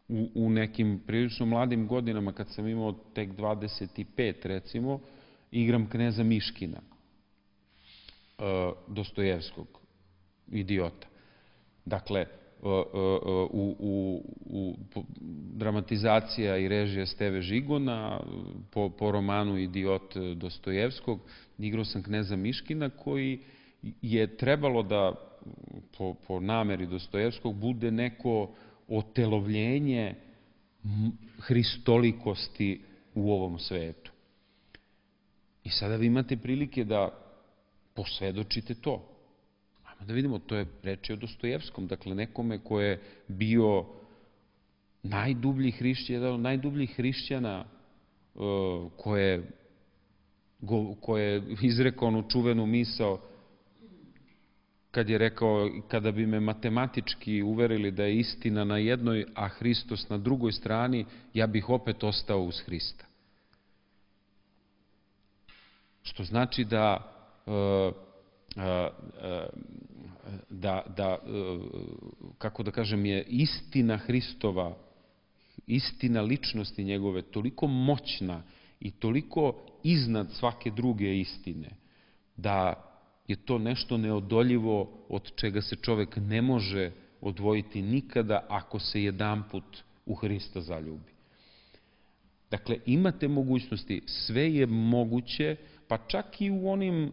Speaker 1: u, u nekim prilično mladim godinama, kad sam imao tek dvadeset pet, recimo, igram kneza Miškina, Dostojevskog, idiota. Dakle, u, u, u dramatizacija i režija Steve Žigona, po, po romanu Idiot Dostojevskog, igrao sam kneza Miškina, koji je trebalo da, po, po nameri Dostojevskog, bude neko otelovljenje hristolikosti u ovom svetu. I sada vi imate prilike da posvedočite to. Ajmo da vidimo, to je reč o Dostojevskom, dakle nekome ko je bio najdublji hrišćan, jedan od najdubljih hrišćana, ko je, ko je izrekao onu čuvenu misao kad je rekao, kada bi me matematički uverili da je istina na jednoj, a Hristos na drugoj strani, ja bih opet ostao uz Hrista. Što znači da da, da, kako da kažem, je istina Hristova, istina ličnosti njegove toliko moćna i toliko iznad svake druge istine, da je to nešto neodoljivo od čega se čovek ne može odvojiti nikada ako se jedanput u Hrista zaljubi. Dakle, imate mogućnosti, sve je moguće, pa čak i u onim e,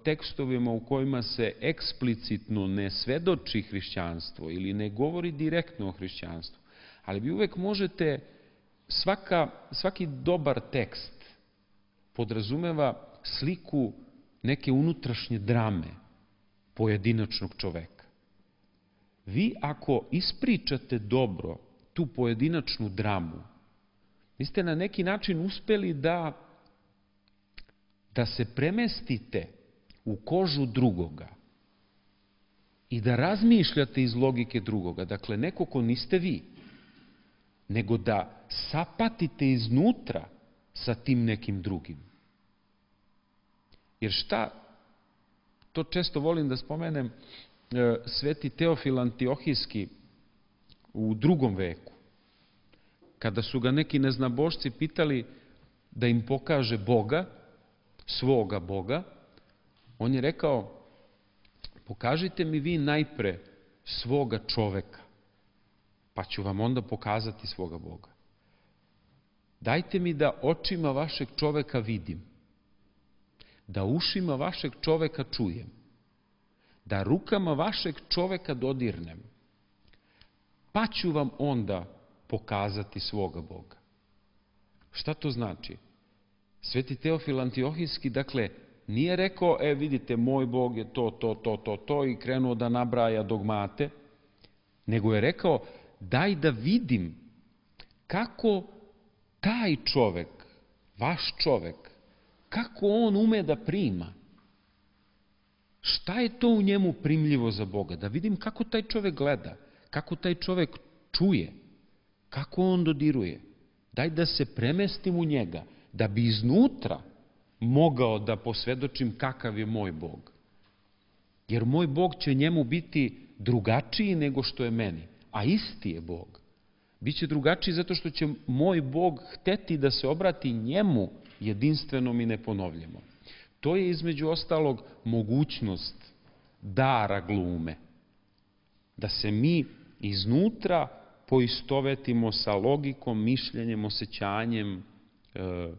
Speaker 1: tekstovima u kojima se eksplicitno ne svedoči hrišćanstvo ili ne govori direktno o hrišćanstvu, ali vi uvek možete svaka, svaki dobar tekst podrazumeva sliku neke unutrašnje drame pojedinačnog čoveka. Vi ako ispričate dobro tu pojedinačnu dramu, vi ste na neki način uspeli da, da se premestite u kožu drugoga i da razmišljate iz logike drugoga. Dakle, neko ko niste vi, nego da sapatite iznutra sa tim nekim drugim. Jer šta, to često volim da spomenem, sveti Teofil Antiohijski u drugom veku, kada su ga neki neznabošci pitali da im pokaže Boga, svoga Boga, on je rekao, pokažite mi vi najpre svoga čoveka, pa ću vam onda pokazati svoga Boga. Dajte mi da očima vašeg čoveka vidim, da ušima vašeg čoveka čujem, da rukama vašeg čoveka dodirnem, pa ću vam onda pokazati svoga Boga. Šta to znači? Sveti Teofil Antiohijski, dakle, nije rekao, e vidite, moj Bog je to, to, to, to, to i krenuo da nabraja dogmate, nego je rekao, daj da vidim kako taj čovek, vaš čovek, kako on ume da prima. Šta je to u njemu primljivo za Boga? Da vidim kako taj čovek gleda, kako taj čovek čuje, kako on dodiruje. Daj da se premestim u njega, da bi iznutra mogao da posvedočim kakav je moj Bog. Jer moj Bog će njemu biti drugačiji nego što je meni, a isti je Bog. Biće drugačiji zato što će moj Bog hteti da se obrati njemu jedinstvenom i neponovljeno. To je između ostalog mogućnost dara glume. Da se mi iznutra poistovetimo sa logikom, mišljenjem, osjećanjem, e,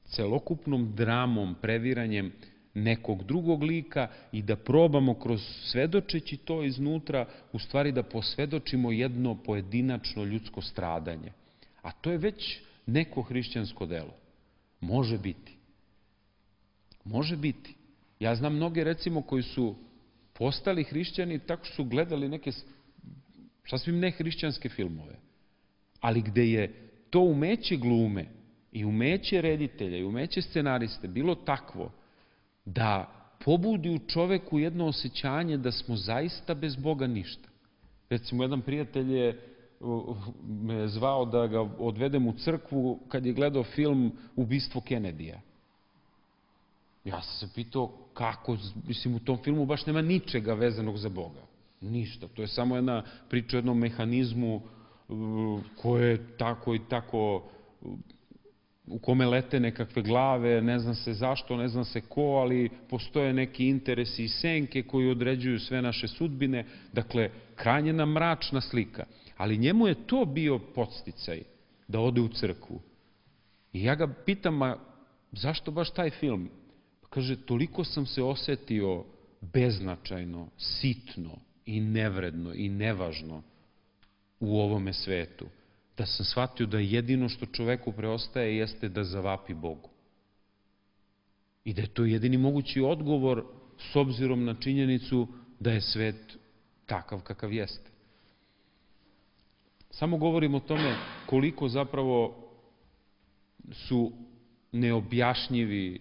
Speaker 1: celokupnom dramom, previranjem nekog drugog lika i da probamo kroz svedočeći to iznutra, u stvari da posvedočimo jedno pojedinačno ljudsko stradanje. A to je već neko hrišćansko delo. Može biti. Može biti. Ja znam mnoge, recimo, koji su postali hrišćani tako što su gledali neke sasvim nehrišćanske filmove, ali gde je to umeće glume i umeće reditelja i umeće scenariste bilo takvo da pobudi u čoveku jedno osjećanje da smo zaista bez Boga ništa. Recimo, jedan prijatelj je me zvao da ga odvedem u crkvu kad je gledao film Ubistvo Kenedija. Ja sam se pitao kako, mislim, u tom filmu baš nema ničega vezanog za Boga. Ništa. To je samo jedna priča o jednom mehanizmu koje je tako i tako, u kome lete nekakve glave, ne zna se zašto, ne zna se ko, ali postoje neki interesi i senke koji određuju sve naše sudbine. Dakle, krajnje nam mračna slika. Ali njemu je to bio podsticaj da ode u crkvu. I ja ga pitam, a zašto baš taj film? Pa kaže, toliko sam se osetio beznačajno, sitno i nevredno i nevažno u ovome svetu, da sam shvatio da jedino što čoveku preostaje jeste da zavapi Bogu. I da je to jedini mogući odgovor s obzirom na činjenicu da je svet takav kakav jeste. Samo govorim o tome koliko zapravo su neobjašnjivi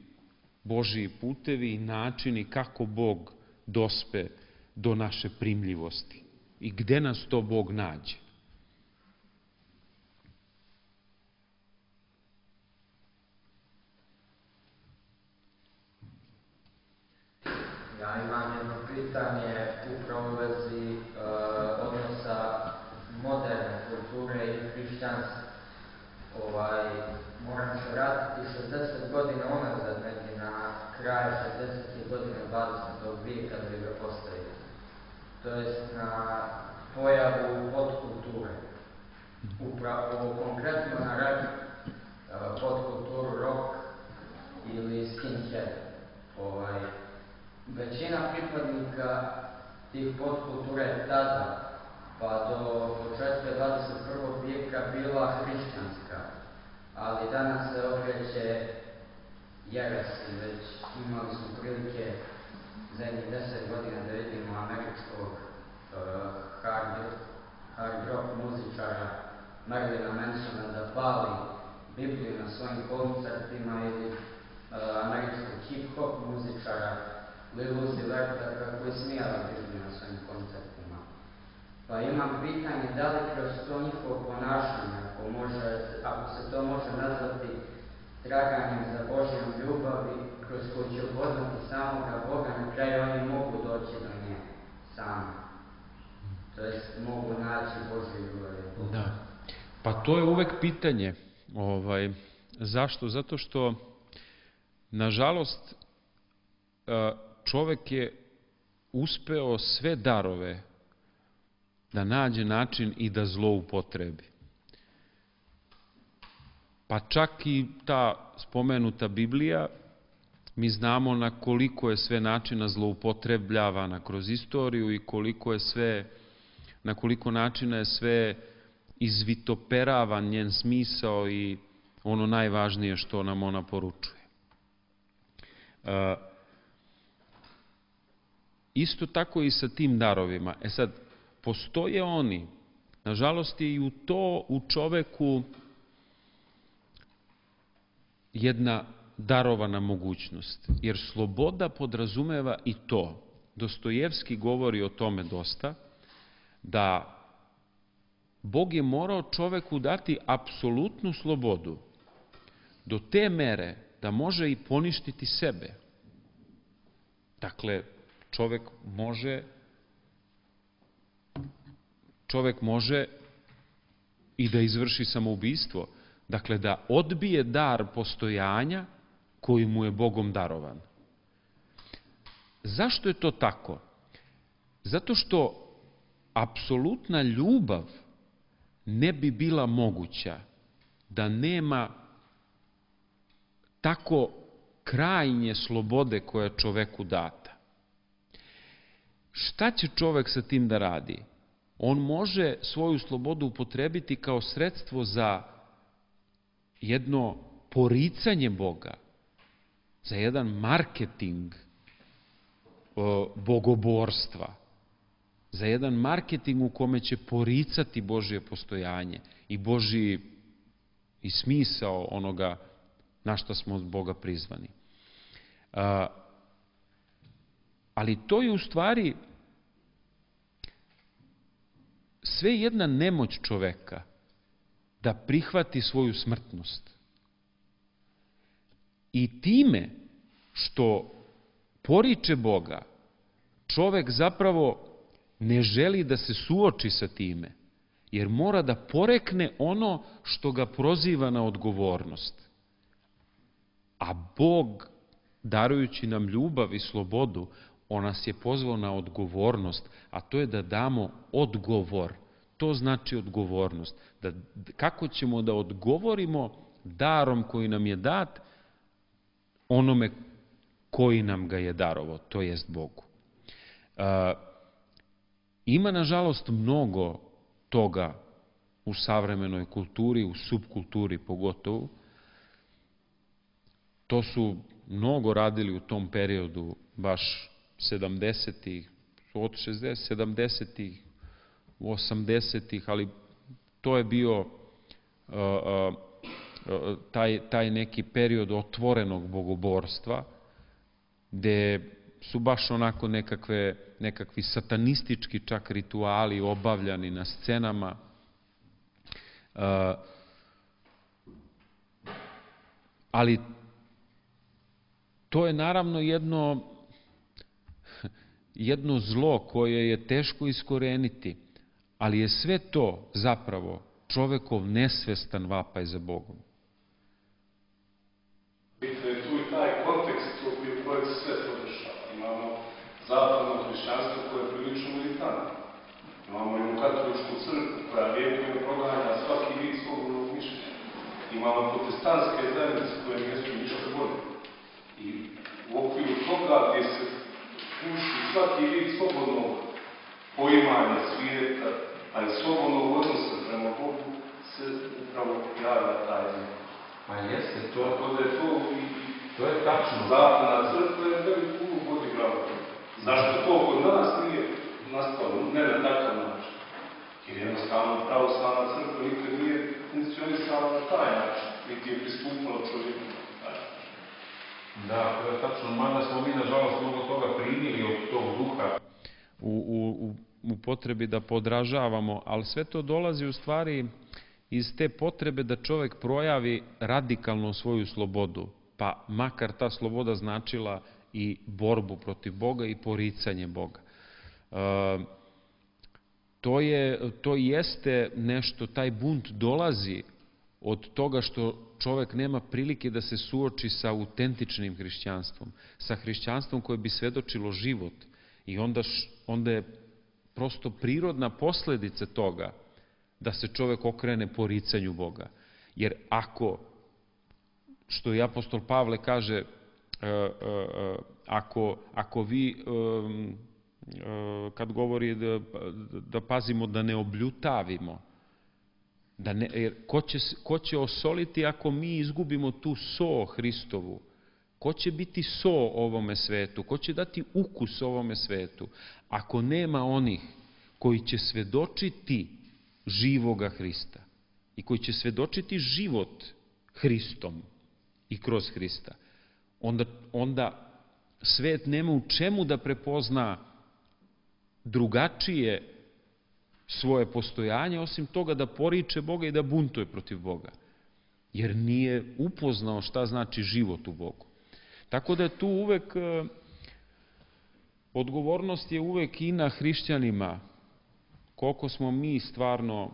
Speaker 1: Božiji putevi i načini kako Bog dospe do naše primljivosti i gde nas to Bog nađe.
Speaker 8: Ja imam jedno pitanje upravo u vezi uh, odnosa moderne kulture i hrišćanstva. Ovaj, moram se vratiti šezdeset godina unazad, negdje na kraju šezdesetih godina dvadesetog vijeka da bi ga postavili. To jest na pojavu podkulture. Upravo konkretno na rap, uh, podkulturu rock ili skinhead. Ovaj, većina pripadnika tih podkulture tada pa do početka dvadeset prvog vijeka bila hrišćanska, ali danas se okreće jeresi. Već imali smo prilike zadnjih deset godina da vidimo američkog uh, hard, hard rock muzičara Marilina Mansona da pali Bibliju na svojim koncertima ili uh, američkog hip-hop muzičara Lil Uzi Verta kako je smijala Bibliju na svojim koncertima. Pa imam pitanje da li kroz to njihovo ponašanje, ako, može, ako se to može nazvati traganjem za Božjom ljubavi, kroz koju će upoznati samoga Boga, na kraju oni mogu doći do nje sami. To jest mogu naći Božju ljubav.
Speaker 1: Da. Pa to je uvek pitanje. Ovaj, zašto? Zato što, nažalost, čovek je uspeo sve darove da nađe način i da zloupotrebi. Pa čak i ta spomenuta Biblija, mi znamo na koliko je sve načina zloupotrebljavana kroz istoriju i koliko je sve, na koliko načina je sve izvitoperavan njen smisao i ono najvažnije što nam ona poručuje. E, isto tako i sa tim darovima. E sad, postoje oni, nažalost je i u to u čoveku jedna darovana mogućnost, jer sloboda podrazumeva i to. Dostojevski govori o tome dosta, da Bog je morao čoveku dati apsolutnu slobodu do te mere da može i poništiti sebe. Dakle, čovek može čovek može i da izvrši samoubistvo. Dakle, da odbije dar postojanja koji mu je Bogom darovan. Zašto je to tako? Zato što apsolutna ljubav ne bi bila moguća da nema tako krajnje slobode koja je čoveku data. Šta će čovek sa tim da radi? On može svoju slobodu upotrebiti kao sredstvo za jedno poricanje Boga, za jedan marketing bogoborstva, za jedan marketing u kome će poricati Božje postojanje i Božji i smisao onoga na što smo od Boga prizvani. Ali to je u stvari sve jedna nemoć čoveka da prihvati svoju smrtnost. I time što poriče Boga, čovek zapravo ne želi da se suoči sa time, jer mora da porekne ono što ga proziva na odgovornost. A Bog, darujući nam ljubav i slobodu, on nas je pozvao na odgovornost, a to je da damo odgovor. To znači odgovornost. Da, kako ćemo da odgovorimo darom koji nam je dat onome koji nam ga je darovao, to jest Bogu. E, ima, nažalost, mnogo toga u savremenoj kulturi, u subkulturi pogotovo. To su mnogo radili u tom periodu, baš sedamdesetih, od šezdesetih, sedamdesetih, osamdesetih, ali to je bio uh, uh, taj, taj neki period otvorenog bogoborstva, gde su baš onako nekakve, nekakvi satanistički čak rituali obavljani na scenama. Uh, ali to je naravno jedno, jedno zlo koje je teško iskoreniti, ali je sve to zapravo čovekov nesvestan vapaj za Bogom.
Speaker 5: Bitno je tu i taj kontekst u kojem se sve to dešava. Imamo zapadno hrišćanstvo koje je prilično militantno. Imamo jednu katoličku crkvu koja vjekovno proganja svaki vid slobodnog mišljenja. Imamo protestantske zajednice koje nisu ništa bolje. I u okviru toga gdje se puši svaki vid slobodnog poimanja svijeta, a iz slobodnog odnosa prema Bogu se upravo javlja taj jezik.
Speaker 9: Pa jeste, to,
Speaker 5: Tako da je to i
Speaker 9: to je tačno.
Speaker 5: zapadna crkva je veliku ulogu odigrala. Zašto to kod nas nije nastalo, ne na takav način? Jer jednostavno pravoslavna crkva nikad nije funkcionisala na taj način, niti je pristupala čovjeku.
Speaker 9: Da, to je tačno, mada smo mi nažalost mnogo toga primili od tog duha.
Speaker 1: U, u, u potrebi da podražavamo, ali sve to dolazi u stvari iz te potrebe da čovjek projavi radikalno svoju slobodu, pa makar ta sloboda značila i borbu protiv Boga i poricanje Boga. E, to, je, to jeste nešto, taj bunt dolazi od toga što čovjek nema prilike da se suoči sa autentičnim hrišćanstvom, sa hrišćanstvom koje bi svedočilo život. I onda, onda je prosto prirodna posledica toga da se čovjek okrene poricanju Boga. Jer ako, što i apostol Pavle kaže, e, e, ako, ako vi, e, e, kad govori da, da pazimo da ne obljutavimo, da ne, jer ko će, ko će osoliti ako mi izgubimo tu so Hristovu? Ko će biti so ovome svetu? Ko će dati ukus ovome svetu? Ako nema onih koji će svedočiti živoga Hrista i koji će svedočiti život Hristom i kroz Hrista, onda, onda svet nema u čemu da prepozna drugačije svoje postojanje, osim toga da poriče Boga i da buntuje protiv Boga. Jer nije upoznao šta znači život u Bogu. Tako da je tu uvek, odgovornost je uvek i na hrišćanima, koliko smo mi stvarno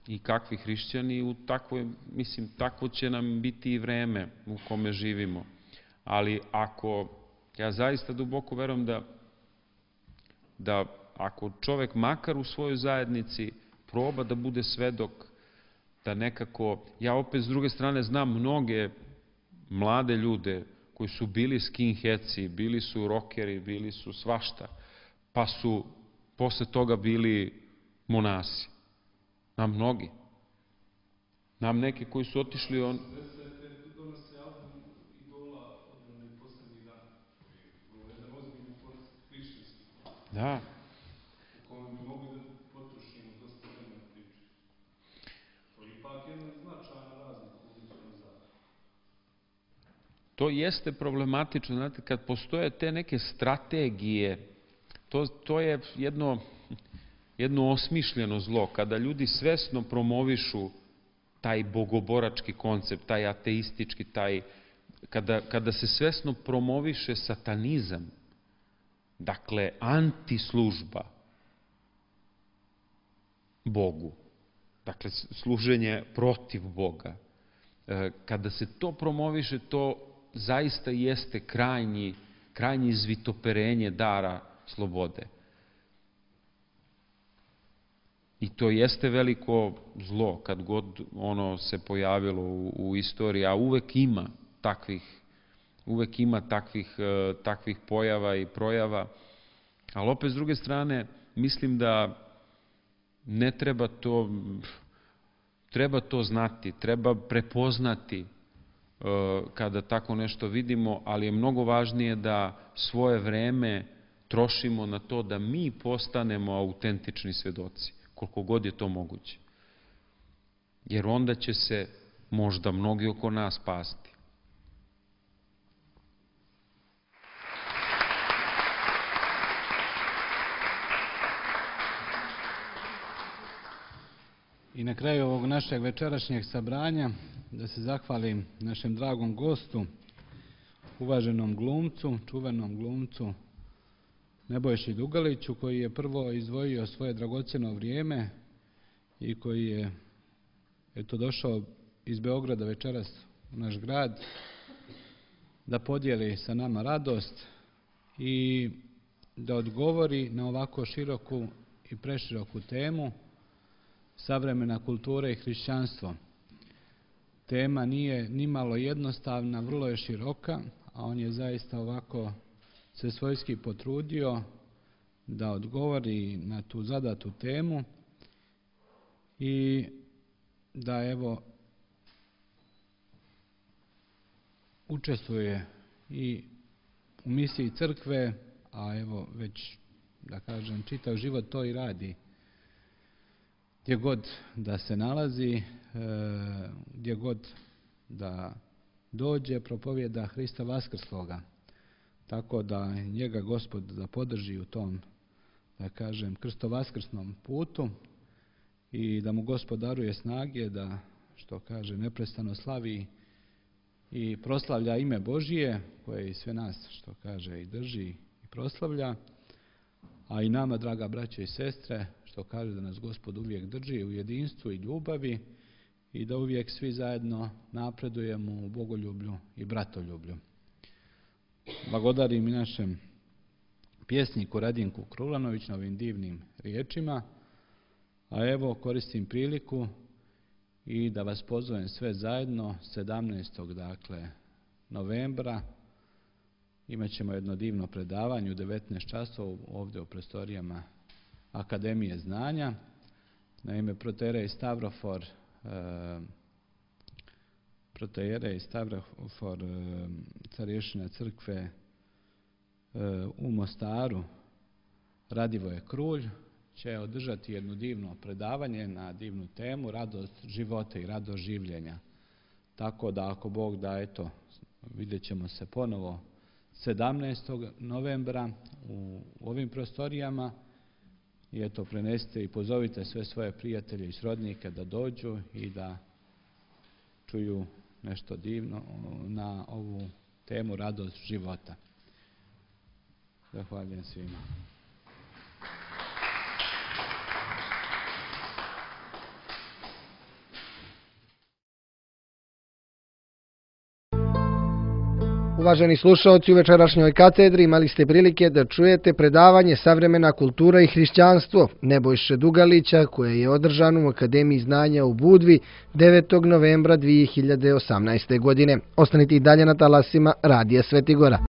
Speaker 1: i kakvi hrišćani, u takvoj, mislim, takvo će nam biti i vreme u kome živimo. Ali ako, ja zaista duboko verujem da, da ako čovjek makar u svojoj zajednici proba da bude svedok, da nekako, ja opet s druge strane znam mnoge mlade ljude koji su bili skinheadsi, bili su rokeri, bili su svašta, pa su posle toga bili monasi. Nam mnogi. Nam neki koji su otišli on... Da. To jeste problematično, znate, kad postoje te neke strategije, to, to je jedno, jedno osmišljeno zlo, kada ljudi svesno promovišu taj bogoborački koncept, taj ateistički, taj, kada, kada se svesno promoviše satanizam, dakle, antislužba Bogu, dakle, služenje protiv Boga, kada se to promoviše, to zaista jeste krajnji, krajnji izvitoperenje dara slobode. I to jeste veliko zlo kad god ono se pojavilo u, u istoriji, a uvek ima takvih, uvek ima takvih, takvih pojava i projava, ali opet s druge strane mislim da ne treba to, treba to znati, treba prepoznati kada tako nešto vidimo, ali je mnogo važnije da svoje vreme trošimo na to da mi postanemo autentični svedoci, koliko god je to moguće. Jer onda će se možda mnogi oko nas spasti.
Speaker 3: I na kraju ovog našeg večerašnjeg sabranja da se zahvalim našem dragom gostu, uvaženom glumcu, čuvenom glumcu Nebojši Dugaliću, koji je prvo izdvojio svoje dragocjeno vrijeme i koji je eto došao iz Beograda večeras u naš grad da podijeli sa nama radost i da odgovori na ovako široku i preširoku temu savremena kultura i hrišćanstvo. Tema nije nimalo jednostavna, vrlo je široka, a on je zaista ovako se svojski potrudio da odgovori na tu zadatu temu i da evo učestvuje i u misiji crkve, a evo već, da kažem, čitav život to i radi. Gdje god da se nalazi, gdje god da dođe, propovijeda Hrista vaskrsloga. Tako da njega Gospod da podrži u tom, da kažem, krstovaskrsnom putu i da mu Gospod daruje snage da, što kaže, neprestano slavi i proslavlja ime Božije, koje i sve nas, što kaže, i drži i proslavlja, a i nama, draga braće i sestre, što kaže da nas Gospod uvijek drži u jedinstvu i ljubavi i da uvijek svi zajedno napredujemo u bogoljublju i bratoljublju. Blagodarim i našem pjesniku Radinku Krulanović na ovim divnim riječima, a evo koristim priliku i da vas pozovem sve zajedno sedamnaestog dakle novembra. Imat ćemo jedno divno predavanje u devetnaest časova ovdje u prostorijama Akademije znanja. Naime, protoijerej Stavrofor e, protoijerej Stavrofor e, starješina crkve e, u Mostaru Radivoje Krulj će održati jedno divno predavanje na divnu temu radost života i radost življenja. Tako da ako Bog da, eto, vidjet ćemo se ponovo sedamnaestog novembra u ovim prostorijama i eto, prenesite i pozovite sve svoje prijatelje i srodnike da dođu i da čuju nešto divno na ovu temu radost života. Zahvaljujem svima.
Speaker 2: Uvaženi slušaoci, u večerašnjoj katedri imali ste prilike da čujete predavanje Savremena kultura i hrišćanstvo Nebojše Dugalića, koje je održano u Akademiji znanja u Budvi devetog novembra dvije hiljade osamnaeste. godine. Ostanite i dalje na talasima Radija Svetigora.